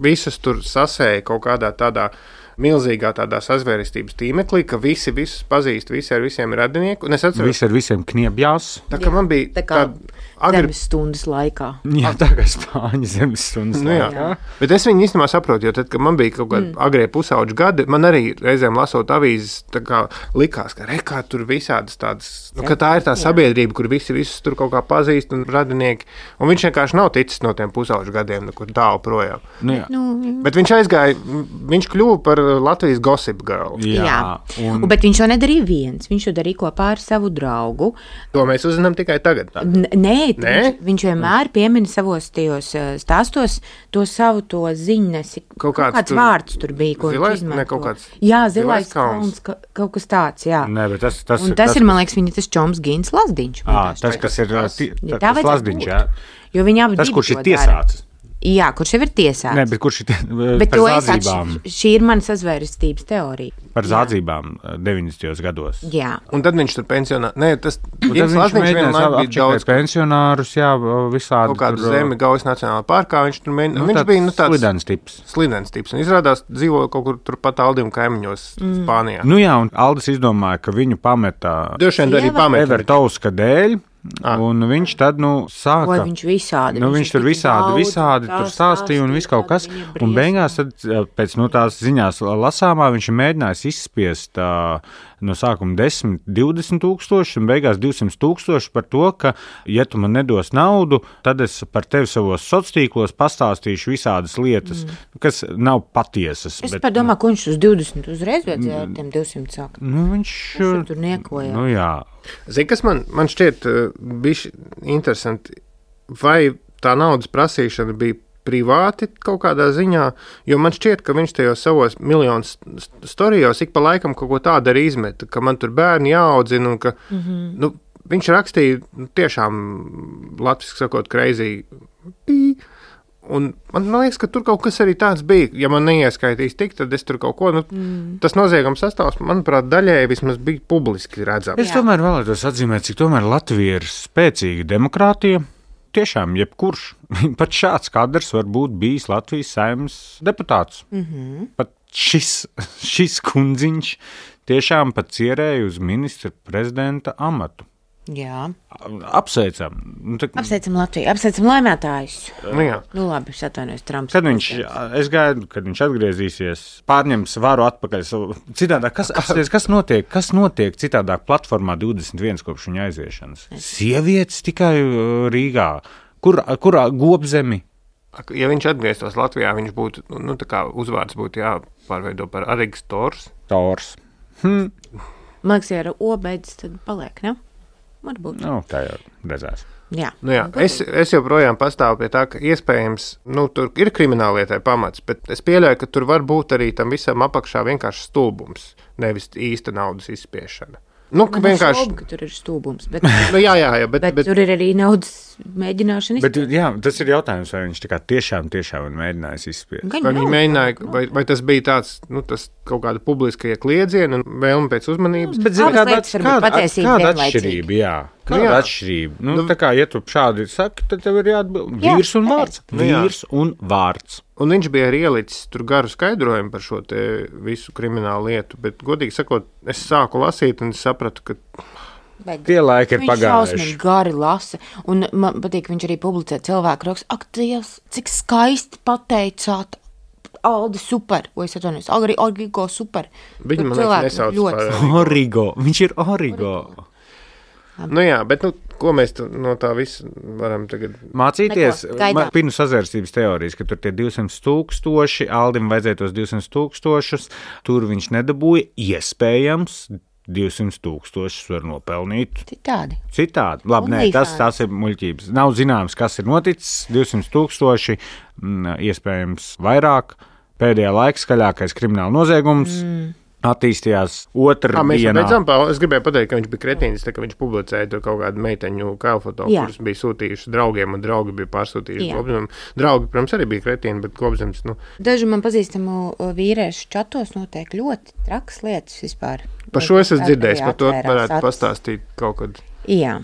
visus tur sasēja kaut kādā tādā milzīgā tādā sazvērestības tīmeklī, ka visi visus pazīst, visi ar visiem ir radinieki. Un es atceros, Visi ar visiem kniebjās. tā kā man bija Tā kā tāda agri... zemes stundas laikā. Jā, tā kā Spāņu zemes stundas Nu, jā. laikā. Bet es viņu īstenībā saprotu, jo tad, kad man bija kaut kādi mm. agrie pusauģi gadi, man arī reizēm lasot avīzes, tā kā likās, ka rekā tur visādas tādas, nu, ka tā ir tā sabiedrība, kur visi visus tur kaut kā pazīst un radinieki, un viņš vienkārši nav ticis no tiem pusauģu gadiem, nekur tālu projām. Nu, jā. Nu, Bet viņš aizgāja, viņš kļuva par Latvijas gossip girl. Jā, jā. un Un... Bet viņš to nedarīja viens. Viņš to darīja kopā ar savu draugu. To mēs uzzinām tikai tagad. N nē, Nē? Viņš, viņš vienmēr piemina savos tajos uh, stāstos to savu to ziņnesi. Kaut Kaut kāds kāds tur- vārds tur bija, ko Zilais? viņš izmanto. Ne, kaut kāds Jā, zilais zilais kalns. kalns, ka, kaut kas tāds, jā. Nē, bet tas, tas, Un tas, tas ir, man liekas, viņa tas Čoms Gīns Lazdiņš. Ā, tas, kas ir Tas- ti- Ja tas tā vajadzētu Lazdiņš, būt. jā. Jo viņi abi Tas, divi kurš to ir dara. tiesāts. Jā, kurš jau ir tiesāts. Nē, bet kurš ir tie, Bet par to es zādzībām, atš... Šī ir mana sazvērestības teorija. par zādzībām deviņdesmitajos gados. Jā. Un tad viņš tur pensionā. Nē, tas Un tad viņš mēģināja apčakāt pensionārus, jā, visādi. kaut kādu tur, zemi Gaujas Nacionālā parkā. Viņš tur mēģināja. Nu, Viņš tāds bija nu, tāds slidens tips. slidens tips. Un izrādās, dzīvoja kaut kur turpat Aldim kaimiņos mm. Spānijā. Nu jā, un Aldis izdomāja, ka viņu pameta Droši vien arī Sieva? pameta. Evertauska dēļ. Ah. Un viņš tad, nu, sāka. Ko viņš visādi. Nu, viņš tur tik visādi, daudz visādi tā tur stāstīja un viss kaut kas. viņa Un briesmas. beigās, tad, pēc nu, tās ziņās lasāmā, viņš ir mēģinājis izspiest uh, no sākuma desmit, divdesmit tūkstoši un beigās divsimt tūkstoši par to, ka, ja tu man nedos naudu, tad es par tevi savos sociālos tīklos pastāstīšu visādas lietas, mm. kas nav patiesas. Es bet, pat domāju, ka viņš uz divdesmit uzreiz vajadzēja ar tiem divsimt sākt. Nu, viņš Viņš tur niekoja. Nu, jā. Zini, kas man, man šķiet uh, bišķi interesanti, vai tā naudas prasīšana bija privāti kaut kādā ziņā, jo man šķiet, ka viņš tajos savos miljonus storijos ik pa laikam kaut ko tādu arī izmeta, ka man tur bērni jāaudzina un ka, mm -hmm. nu, viņš rakstīja nu, tiešām, latviski sakot, crazy. Un man liekas, ka tur kaut kas arī tāds bija. Ja man neieskaitīs tik, tad es tur kaut ko, nu, mm. tas noziegums sastāvs, manuprāt, daļēji vismaz bija publiski redzams. Es tomēr vēlētos atzīmēt, cik tomēr Latvija ir spēcīga demokrātija. Tiešām, jebkurš, pat šāds kadrs var būt bijis Latvijas Saeimas deputāts. Mm -hmm. Pat šis, šis kundziņš tiešām pat cerēja uz ministra prezidenta amatu. Jā. Apsveicam. Nu, tā, Apsveicam Latviju, apsveicam laimētājus. Nu, jā. Nu labi, es atvainojos Trumps. kad viņš, es gaidu, kad viņš atgriezīsies, pārņems varu atpakaļ. Savu, citādāk, kas, apsties, kas notiek, kas notiek citādāk platformā divdesmit viens kopš viņa aiziešanas? Sievietes tikai uh, Rīgā. Kur, kurā Gobzemi? Ja viņš atgrieztos Latvijā, viņš būtu, nu, tā kā uzvārds būtu jāpārveido par Arrigo Tors. Tors. Hm. Man liekas, ja ar O beidzas, tad paliek, ne? Varbūt. Nu, tā jau redzēs. Jā. Nu, jā. Es, es joprojām pastāvu pie tā, ka iespējams, nu, tur ir krimināllietai pamats, bet es pieļauju, ka tur var būt arī tam visam apakšā vienkārši stulbums, nevis īsta naudas izspiešana. Nu, ka Man vienkārši, šaubu, ka tur ir stulbums, bet, nu, jā, jā, jā, bet, bet, bet, bet tur ir arī naudas mēģināšana Bet, jā, tas ir jautājums, vai viņš tā kā tiešām, tiešām ir mēģinājis izspiest. vai viņi mēģināja, vai, vai tas bija tāds, nu, tas kaut kāda publiska iekliedziena un vēlme pēc uzmanības. Bet, zini, Abas kāda, lietas var būt kāda, patiesība kāda vienlaicīgi. atšķirība, jā. Kāda jā. atšķirība? Nu, tā kā, ja tu šādi saki, tad tev ir jāatbild. Jā, Vīrs un vārds. Nu, jā. Vīrs un vārds. Un viņš bija arī ielicis tur garu skaidrojumu par šo te visu kriminālu lietu, bet, godīgi sakot, es sāku lasīt un es sapratu, ka Tie laiki ir Viņš pagājuši. šausmīgi gari lasa, un man patīk, viņš arī publicē cilvēku rakstu. Ak, Dievs, cik skaisti pateicāt, Aldi super, vai es atvainojos, Agri, Agrigo super. Viņi, Tur man liekas, cilvēki nesauc ļoti par- Origo. Viņš ir origo. Nu jā, bet nu, ko mēs tu, no tā visa varam tagad mācīties? Gaidām. Pirnu sazvērstības teorijas, ka tur tie divsimt tūkstoši, Aldim vajadzēja tos divsimt tūkstošus, tur viņš nedabūja, iespējams, divsimt tūkstošus var nopelnīt. Citādi. Citādi. Labi, nē, tas, tas ir muļķības. Nav zināms, kas ir noticis, divsimt tūkstoši, iespējams vairāk. Pēdējā laika skaļākais krimināla noziegums. Mm. Attīstījās otrā Mēs dienā. Beidzam, es gribēju pateikt, ka viņš bija kretīnis, tā, ka viņš publicēja tur kaut kādu meiteņu kailfoto, kuras bija sūtījuši draugiem, un draugi bija pārsūtījuši Kopzemam. Draugi, protams, arī bija kretīni, bet Kopzems, nu... Daži man pazīstamu vīriešu čatos notiek ļoti traks lietas vispār. Par šo es esmu dzirdējis, par to varētu pastāstīt kaut kad. Jā.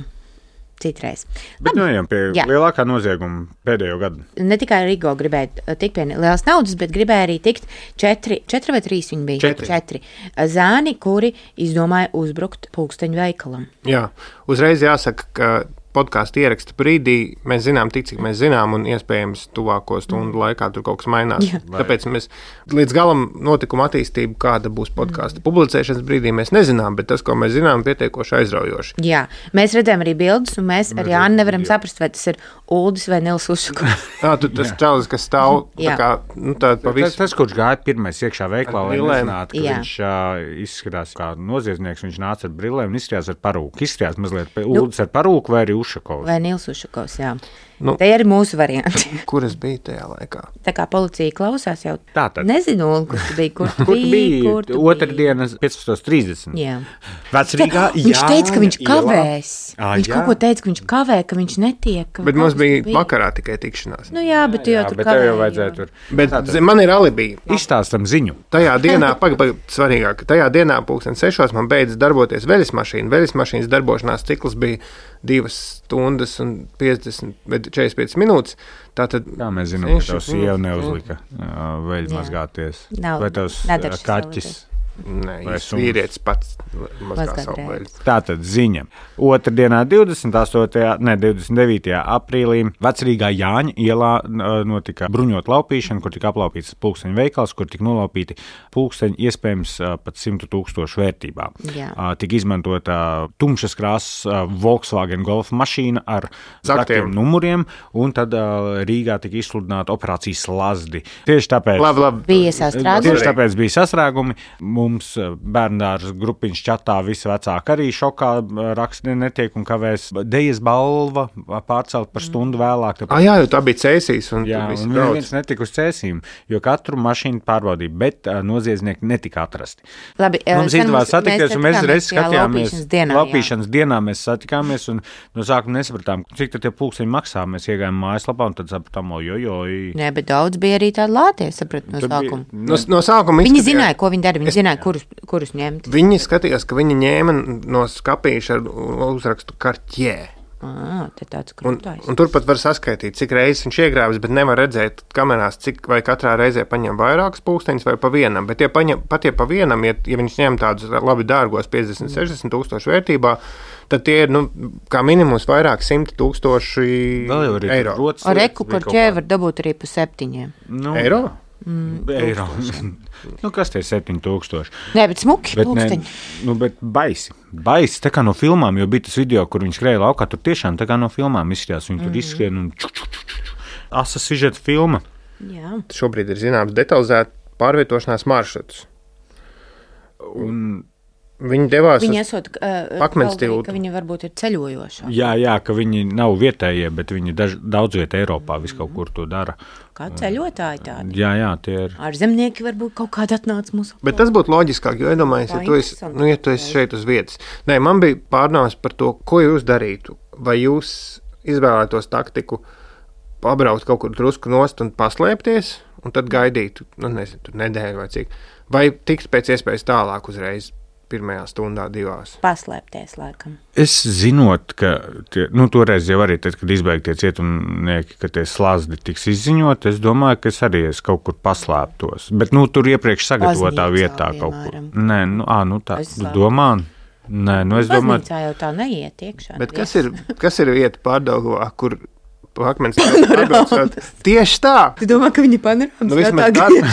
Citreiz. Bet nu ejam pie jā. lielākā nozieguma pēdējo gadu. Ne tikai Rigo gribēja tikt pie lielas naudas, bet gribēja arī tikt četri, četri vai trīs viņi bija? Četri. četri. Zēni, kuri izdomāja uzbrukt pulksteņu veikalam. Jā, uzreiz jāsaka, ka podkāstu ieraksta brīdī mēs zinām tik, cik mēs zinām, un iespējams tuvāko stundu laikā tur kaut kas mainās. Jā. Tāpēc mēs līdz galam notikumu attīstību, kāda būs podkāsta publicēšanas brīdī, mēs nezinām, bet tas, ko mēs zinām, pietiekoši aizraujoši. Jā, mēs redzējām arī bildes, un mēs ar Jāni nevaram saprast, vai tas ir Uldis vai Nils Ušakovs. Jā, tu tas čalis, kas stāv tā kā, nu tā pa visu. Tas, tas, kurš gāja pirmais iekšā veiklā, lai nezinātu, ka jā. viņš uh, izskatās kā noziedznieks, viņš nāca ar brillēm un izskatās ar parūku. Izskatās mazliet Uldis ar parūku vai arī Ušakovs. Vai Nils Ušakovs, jā. Nu, te ir mūsu varianti. Kur es biju tajā laikā? Tā kā policija klausās jau. Tātad. Nezinu, kur tu biji, kur tu kur biji. biji? Kur tu Otrdienas piecpadsmit trīsdesmit. Jā. Vecrīgā, viņš jā, teica, ka viņš kavēs. À, viņš jā. kaut ko teica, ka viņš kavē, ka viņš netiek. Ka bet mums bija vakarā tikai tikšanās. Nu jā, bet tu jau jā, tur bet kavēji. tev jau vajadzēja tur. Bet Tātad. Man ir alibi. Izstāstam ziņu. Tajā dienā, pag, pag, svarīgāk, tajā dienā pulksten sešos man beidz darboties veļas mašīna. Veļas mašīnas darbošanās cikls bija divas stundas un piecdesmit, četrdesmit piecas minūtes. Tātad, kā mēs zinām, ka tavs sieva neuzlika veļu mazgāties? Nav, vai tavs kaķis? Nē, viņš vīrietis pats mazgā savu veļu. Tātad ziņa. Otrdienā divdesmit astotajā, ne, divdesmit devītajā aprīlī Vecrīgā Jāņa ielā notika bruņot laupīšana, kur tika aplaupīts pulksteņu veikals, kur tika nolaupīti pulksteņi iespējams pat simtu tūkstošu vērtībā. Jā. Tika izmantota tumšas krāsas Volkswagen Golf mašīna ar zaktiem numuriem, un tad Rīgā tika izsludināta operācijas Lazdi. Tieši tāpēc, labi, labi. Bija sastrēgumi. Tieši tāpēc bija sastrēgumi. Mums bērndārs grupiņš čatā visi vecāki arī šokā raksti netiek un kavēs. Dejas balva pārcelt par stundu vēlāk. Tāpēc... Ah, jā, jo tā bija cēsīs. Un jā, un viens netika uz cēsīm, jo katru mašīnu pārbaudīja, bet uh, noziedznieki netika atrasti. Labi, mums izdevās satikties, un mēs reiz skatījāmies. Dienā, laupīšanas jā. dienā mēs satikāmies, un no sākuma nesapratām, cik tad tie pulksteņi maksā. Mēs iegājām mājaslapā, un tad sapratām, ojojoj. Nē, bet daudz bija arī tādi lātie, saprat, no sākuma. Bija, no, no sākuma viņi zināja, ko viņi dara, viņi zināja, kurus, kurus ņemt. Viņi skatījās, ka viņi ņēma no skapīša ar uzrakstu Kartjē. À, tāds un, un turpat var saskaitīt, cik reizes viņš iegrāvis, bet nevar redzēt kamerās, cik vai katrā reizē paņem vairākus pulksteņus vai pa vienam. Bet ja paņem, pat ja pa vienam, ja, ja viņš ņem tādus labi dārgos piecdesmit, sešdesmit tūkstošu vērtībā, tad tie ir, nu, kā minimums vairāk simti tūkstoši eiro. Ar reku Kartjē var dabūt arī pa septiņiem. Nu, eiro? Mm, eiro. Nu, kas tie ir septiņi tūkstoši? Nē, bet smuki pulksteņi. Nu, bet baisi. Baisi, tā kā no filmām, jo bija tas video, kur viņi skrēja laukā, tur tiešām tā kā no filmām izskatās. Viņi mm. tur izskrien un ču, ču, ču, ču. Asa sižeta filma. Jā. Šobrīd ir zināms detalizēt pārvietošanās maršrutus. Un... Viņi devās viņi esot, uh, Pakmens tiltu. Ka viņi varbūt ir ceļojoši. Jā, jā, ka viņi nav vietējie, bet viņi daž, daudz vietā Eiropā vis kaut kur to dara. Kā ceļotāji tādi. Jā, jā, tie ir. Ar zemnieki varbūt kaut kādi atnāca mūsu. Bet tas būtu loģiskāk, jo iedomājies, ja tu esi, nu, ja tu esi šeit uz vietas. Nē, man bija pārnāvs par to, ko jūs darītu. Vai jūs izvēlētos taktiku pabraukt kaut kur drusku nost un paslēpties, un tad gaidīt, nu, nezinu, tur nedēļu vai cik. Vai tikt pēc iespējas tālāk uzreiz? Pirmajā stundā, divās. Paslēpties, laikam. Es zinot, ka tie, nu, toreiz jau arī, tad, kad izbeigti tie cietumnieki, ka tie slazdi tiks izziņot, es domāju, ka es arī es kaut kur paslēptos. Bet, nu, tur iepriekš sagatavotā vietā kaut kur. Nē, nu, ā, nu tā, tu domā? Nē, nu, es domāju. Baznīcā jau tā neiet iekšā. Bet kas ir, kas ir vieta Pārdaugavā, kur pa akmens atbraucot. Tieši tā! Tu domā, ka viņi panorāmas Nu, vismaz, darba,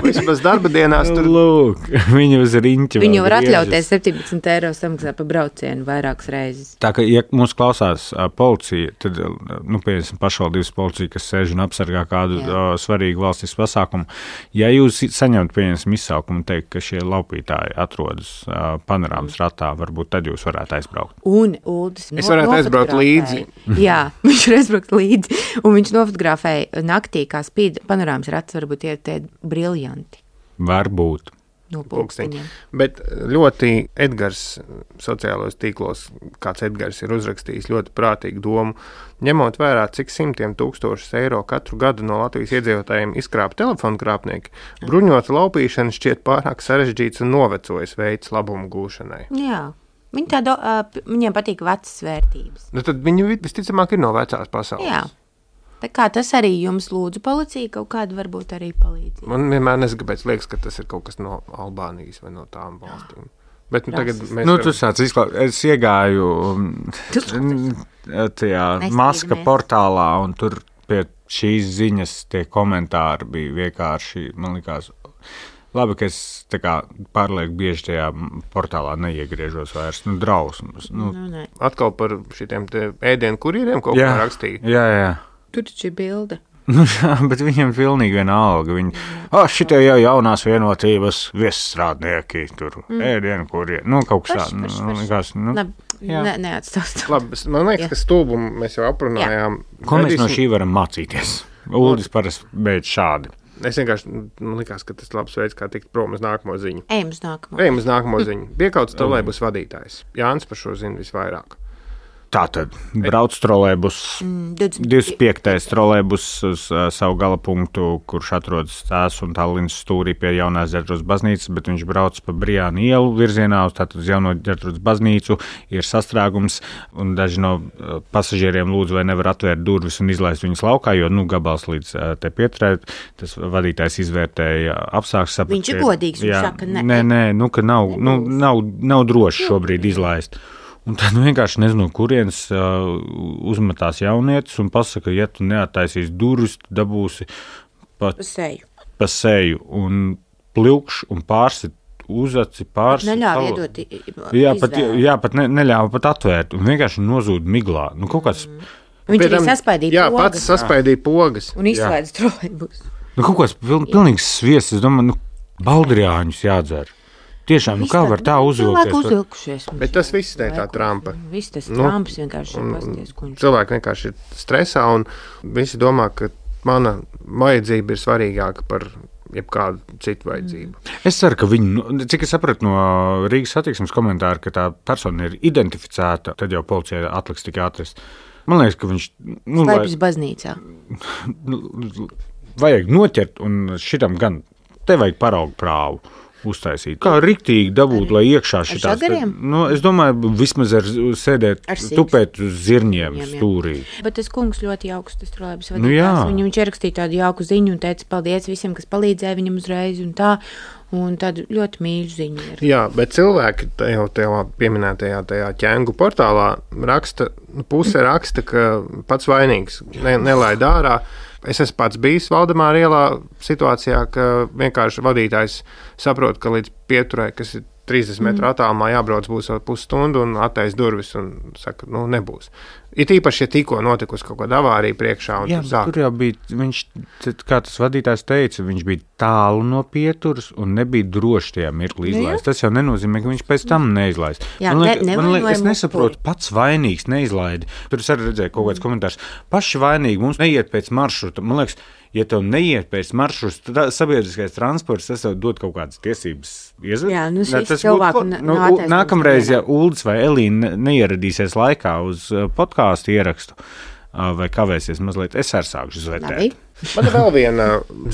vismaz darba dienās tur. Lūk, viņi uz riņķi. Viņi var atļauties septiņdesmit eiro samaksāt pa braucienu vairākas reizes. Tā kā, ja mūs klausās uh, policija, tad, nu, piemēram, pašvaldības policija, kas sēž un apsargā kādu uh, svarīgu valstisku pasākumu, ja jūs saņemt, piemēram, izsaukumu un teikt, ka šie laupītāji atrodas uh, panorāmas ratā, varbūt tad jūs varētu aizbraukt. Un Uldis Es varētu aizbraukt līdzi. Jā, viņš var aizbraukt līdzi. Un viņš nofotografēja naktī, kā spīd panorāmas rats, varbūt tie tie briljanti. Varbūt. No pulksteņiem. Bet ļoti Edgars sociālos tīklos, kāds Edgars ir uzrakstījis ļoti prātīgu domu, ņemot vērā, cik simtiem tūkstošus eiro katru gadu no Latvijas iedzīvotājiem izkrāp telefonu krāpnieki, bruņota laupīšana šķiet pārāk sarežģīts un novecojis veids labumu gūšanai. Jā. Viņi tādu, uh, viņiem patīk vecas vērtības. Nu, tad viņi visticamāk ir no vecās pasaules. Jā. Tā kā tas arī jums lūdzu policija kaut kādu varbūt arī palīdzību. Man vienmēr nezinu, kāpēc liekas, ka tas ir kaut kas no Albānijas vai no tām valstīm. Bet nu, tagad mēs... Nu, tu sāc izklāt, es iegāju tajā Maska portālā un tur pie šīs ziņas tie komentāri bija vienkārši, man likās... Labi, ka es tā kā pārlieku bieži tajā portālā neiegriežos vairs, nu, drausmas. Nu. Nu, ne. Atkal par šitiem te ēdienu kurieriem kaut kā rakstīja. Jā, jā. Tur taču ir bilde. Nu, jā, bet viņiem pilnīgi vienalga. Viņi, ah, šitie jau jaunās vienotības viesstrādnieki, tur mm. ēdienu kurieri. Nu, kaut kas tāds. Nu, likās, nu, ne, neatstāst. Labi, man liekas, jā. Ka stulbumu mēs jau aprunājām. Ko mēs no šī varam mācīties? Uldis parasti beidz šādi. Es vienkārši, man likās, ka tas labs veids, kā tikt prom uz nākamo ziņu. Ejam uz nākamo. Ejam uz nākamo ziņu. Piekauts trolejbus vadītājs. Jānis par šo zina visvairāk. Tātad brauc trolejbus, divdesmit piektais trolejbus uz uh, savu gala punktu, kurš atrodas tās un Tallinas stūrī pie Jaunās Ģertrūdas baznīcas, bet viņš brauc pa Brijānu ielu virzienā uz tātad uz Jauno Ģertrūdas baznīcu, ir sastrēgums, un daži no uh, pasažieriem lūdzu, vai nevar atvērt durvis un izlaist viņus laukā, jo, nu, gabals līdz uh, te pieturē, tas vadītājs izvērtēja apstākļus. Viņš ir godīgs, viņš saka, ne. Nē, nē, nu, ka nav, nu, nav, nav droši šobrīd izlaist. Un tad vienkārši nezinu, kurienes uh, uzmetās jaunietis un pasaka, ja tu neattaisīs durvis, tu dabūsi pa, pa seju. Pa seju un plikš un pārsit uzaci, pārsit. Neļāva iedot jā, pat, jā, pat ne, neļāva pat atvērt un vienkārši nozūd miglā. Nu, kaut kāds... Mm. Viņš arī saspaidīja jā, pogas. Jā, pats saspaidīja pogas. Un izslēdz trolejbus. Nu, kaut kāds piln, pilnīgs sviests, es domāju, nu, baldriāņus jādzer. Tiešām, nu kā var tā uzvilkties? Bet tas viss ir tā Trumpa. Viss tas nu, Trumps vienkārši ir pasties, ko viņš. Cilvēki vienkārši ir stresā un visi domā, ka mana vajadzība ir svarīgāka par jebkādu citu vajadzību. Mm. Es ceru, ka viņi, cik es sapratu no Rīgas satiksmes komentāra, ka tā persona ir identificēta, tad jau policija atliks tikai atrast. Man liekas, ka viņš... Nu, slēpjas baznīcā. Vajag noķert un šitam gan, te vajag paraugu prāvu. Uztaisīt. Kā riktīgi dabūt, lai iekšā šitās... Nu, es domāju, vismaz ar sēdēt, ar tupēt uz zirņiem stūrī. Bet tas kungs ļoti jauks, tas trolejbus vadītājs. Nu, jā. Viņu, viņš ierakstīja tādu jauku ziņu un teica paldies visiem, kas palīdzēja viņam uzreiz un tā. Un tādu ļoti mīļu ziņu ir. Jā, bet cilvēki jau tajā pieminētajā tajā ķēngu portālā raksta, puse raksta, ka pats vainīgs ne, nelaid ārā. Es esmu pats bijis Valdemāra ielā situācijā, ka vienkārši vadītājs saprot, ka līdz pieturē, kas ir trīsdesmit metru mm. attālumā jābrauc būs vēl pusstundu un attais durvis un saka, nu nebūs. Ir īpaši, ja tikko notikusi kaut kāda avārija priekšā un jā, tur sāk. Tur jau bija, viņš, kā tas vadītājs teica, viņš bija tālu no pieturas un nebija droši tajā mirklī izlaist. Tas jau nenozīmē, ka viņš pēc tam neizlaist. Jā, man liek, ne, man liek, es nesaprotu, pats vainīgs neizlaidi. Tur es arī redzēju kaut kāds komentārs. Paši vainīgi mums neiet pēc maršruta. Man liekas, ja tev neiet pēc maršruta, tad sabiedriskais transports, tas tev dod kaut kādas tiesības iezved. Jā, nu šis cilvēku nu, nākamreiz, ja Uldis vai Elīna neieradīsies laikā uz podkāstu ierakstu vai kavēsies mazliet, es arī sākšu zvērtēt. Man ir vēl viena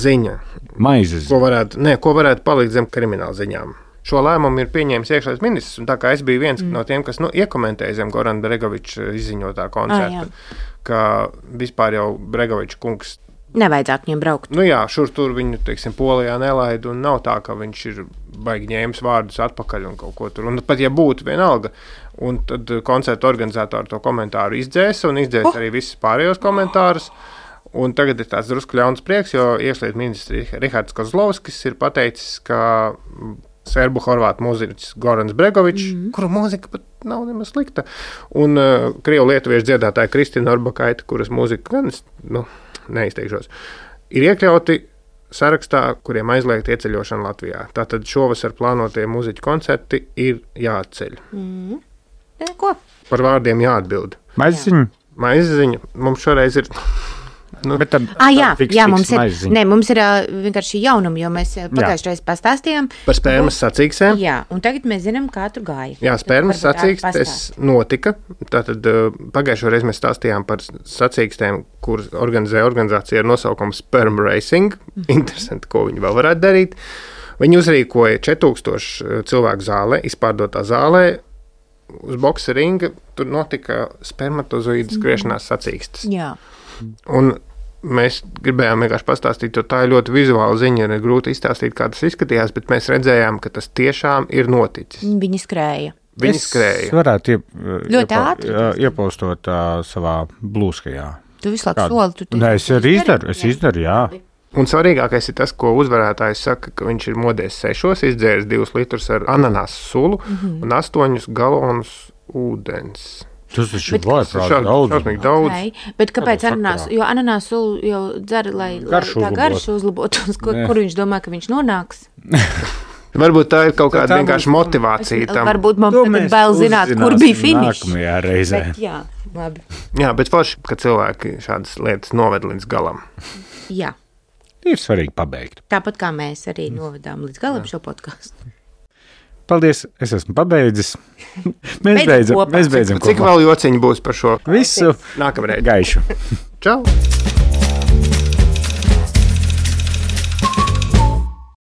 ziņa. Maizes. Ko varētu, ne, ko varētu palikt zem krimināla ziņām. Šo lēmumu ir pieņēmis iekšlietu ministrs, un tā kā es biju viens mm. no tiem, kas nu, iekomentēja zem Gorana Bregoviča izziņotā koncerta, ah, ka vispār jau Bregoviča kungs Nevajadzētu viņiem braukt. Nu jā, šur tur viņu, teiksim, Polijā nelaida, un nav tā, ka viņš ir baigi ņēmis vārdus atpakaļ un kaut ko tur. Un pat ja būtu vienalga, un tad koncertu organizatori to komentāru izdzēs, un izdzēs oh. arī visus pārējos komentārus. Un tagad ir tāds drusku ļauns prieks, jo iekšlietu ministrs Rihards Kozlovskis ir pateicis, ka serbu horvātu mūziķis Gorans Bregovičs, mm. kura mūzika pat nav nemaz slikta, un uh, krievu lietuviešu dziedātāja Kristina Orbakaita, kuras mūzika gan, nu, neizteikšos, ir iekļauti sarakstā, kuriem aizliegt ieceļošanu Latvijā. Tātad šovasar plānotie mūziķu koncerti ir jāatceļ. Mm. Ko? Par vārdiem jāatbild. Maiziņa? Maiziņa. Mums šoreiz ir... Nu, bet tad, ah, jā, fiks, jā, fiks mums ir, maiziņa. ne, mums ir uh, vienkārši jaunumi, jo mēs pagājušajā reizē pastāstījām. Par spermas sacīkstēm. Jā, un tagad mēs zinām, kā tur gāja. Jā, spermas sacīkstes notika. Tātad uh, pagājušajā reizē mēs stāstījām par sacīkstēm, kuras organizē organizācija ar nosaukumu Sperm Racing. Mm. Interesanti, ko viņi vēl varētu darīt. Viņi uzrīkoja četrdesmit cilvēku zālē, izpārdotā zālē, uz boksa ringa. Tur notika spermatozoīdu skriešanās sacīkstes. Jā. Un mēs gribējām vienkārši pastāstīt, jo tā ir ļoti vizuāla ziņa, ir grūti izstāstīt, kā tas izskatījās, bet mēs redzējām, ka tas tiešām ir noticis. Viņi skrēja. Viņi skrēja. Es varētu iep, ļoti ātri iepostot uh, savā blūskajā. Tu visu laiku soli. Tu Nē, es arī izdaru, es izdaru, jā. Un svarīgākais ir tas, ko uzvarētājs saka, ka viņš ir modies sešos, izdzēris divus litrus ar ananās sulu mm-hmm. un astoņus galonus ūdens. Tas taču vajag daudz. daudz. Okay. Bet kāpēc ananās? Jo ananās sulu jau dzer, lai, lai tā garšu uzlabotu, uz kur, kur viņš domā, ka viņš nonāks? Varbūt tā ir kaut kāda vienkārši motivācija tam. Varbūt mums tagad bail zināt, kur bija finišs. Nākamajā reizē. Bet, jā, labi. Jā, bet forši, ka cilvēki šādas lietas noved līdz galam. Jā. Ir svarīgi pabeigt. Tāpat kā mēs arī novedām līdz galam jā. Šo podcastu. Paldies, es esmu pabeidzis. Mēs beidzam, mēs beidzam kopā. Cik vēl jociņi būs par šo visu nākamreiz? Gaišu. Čau!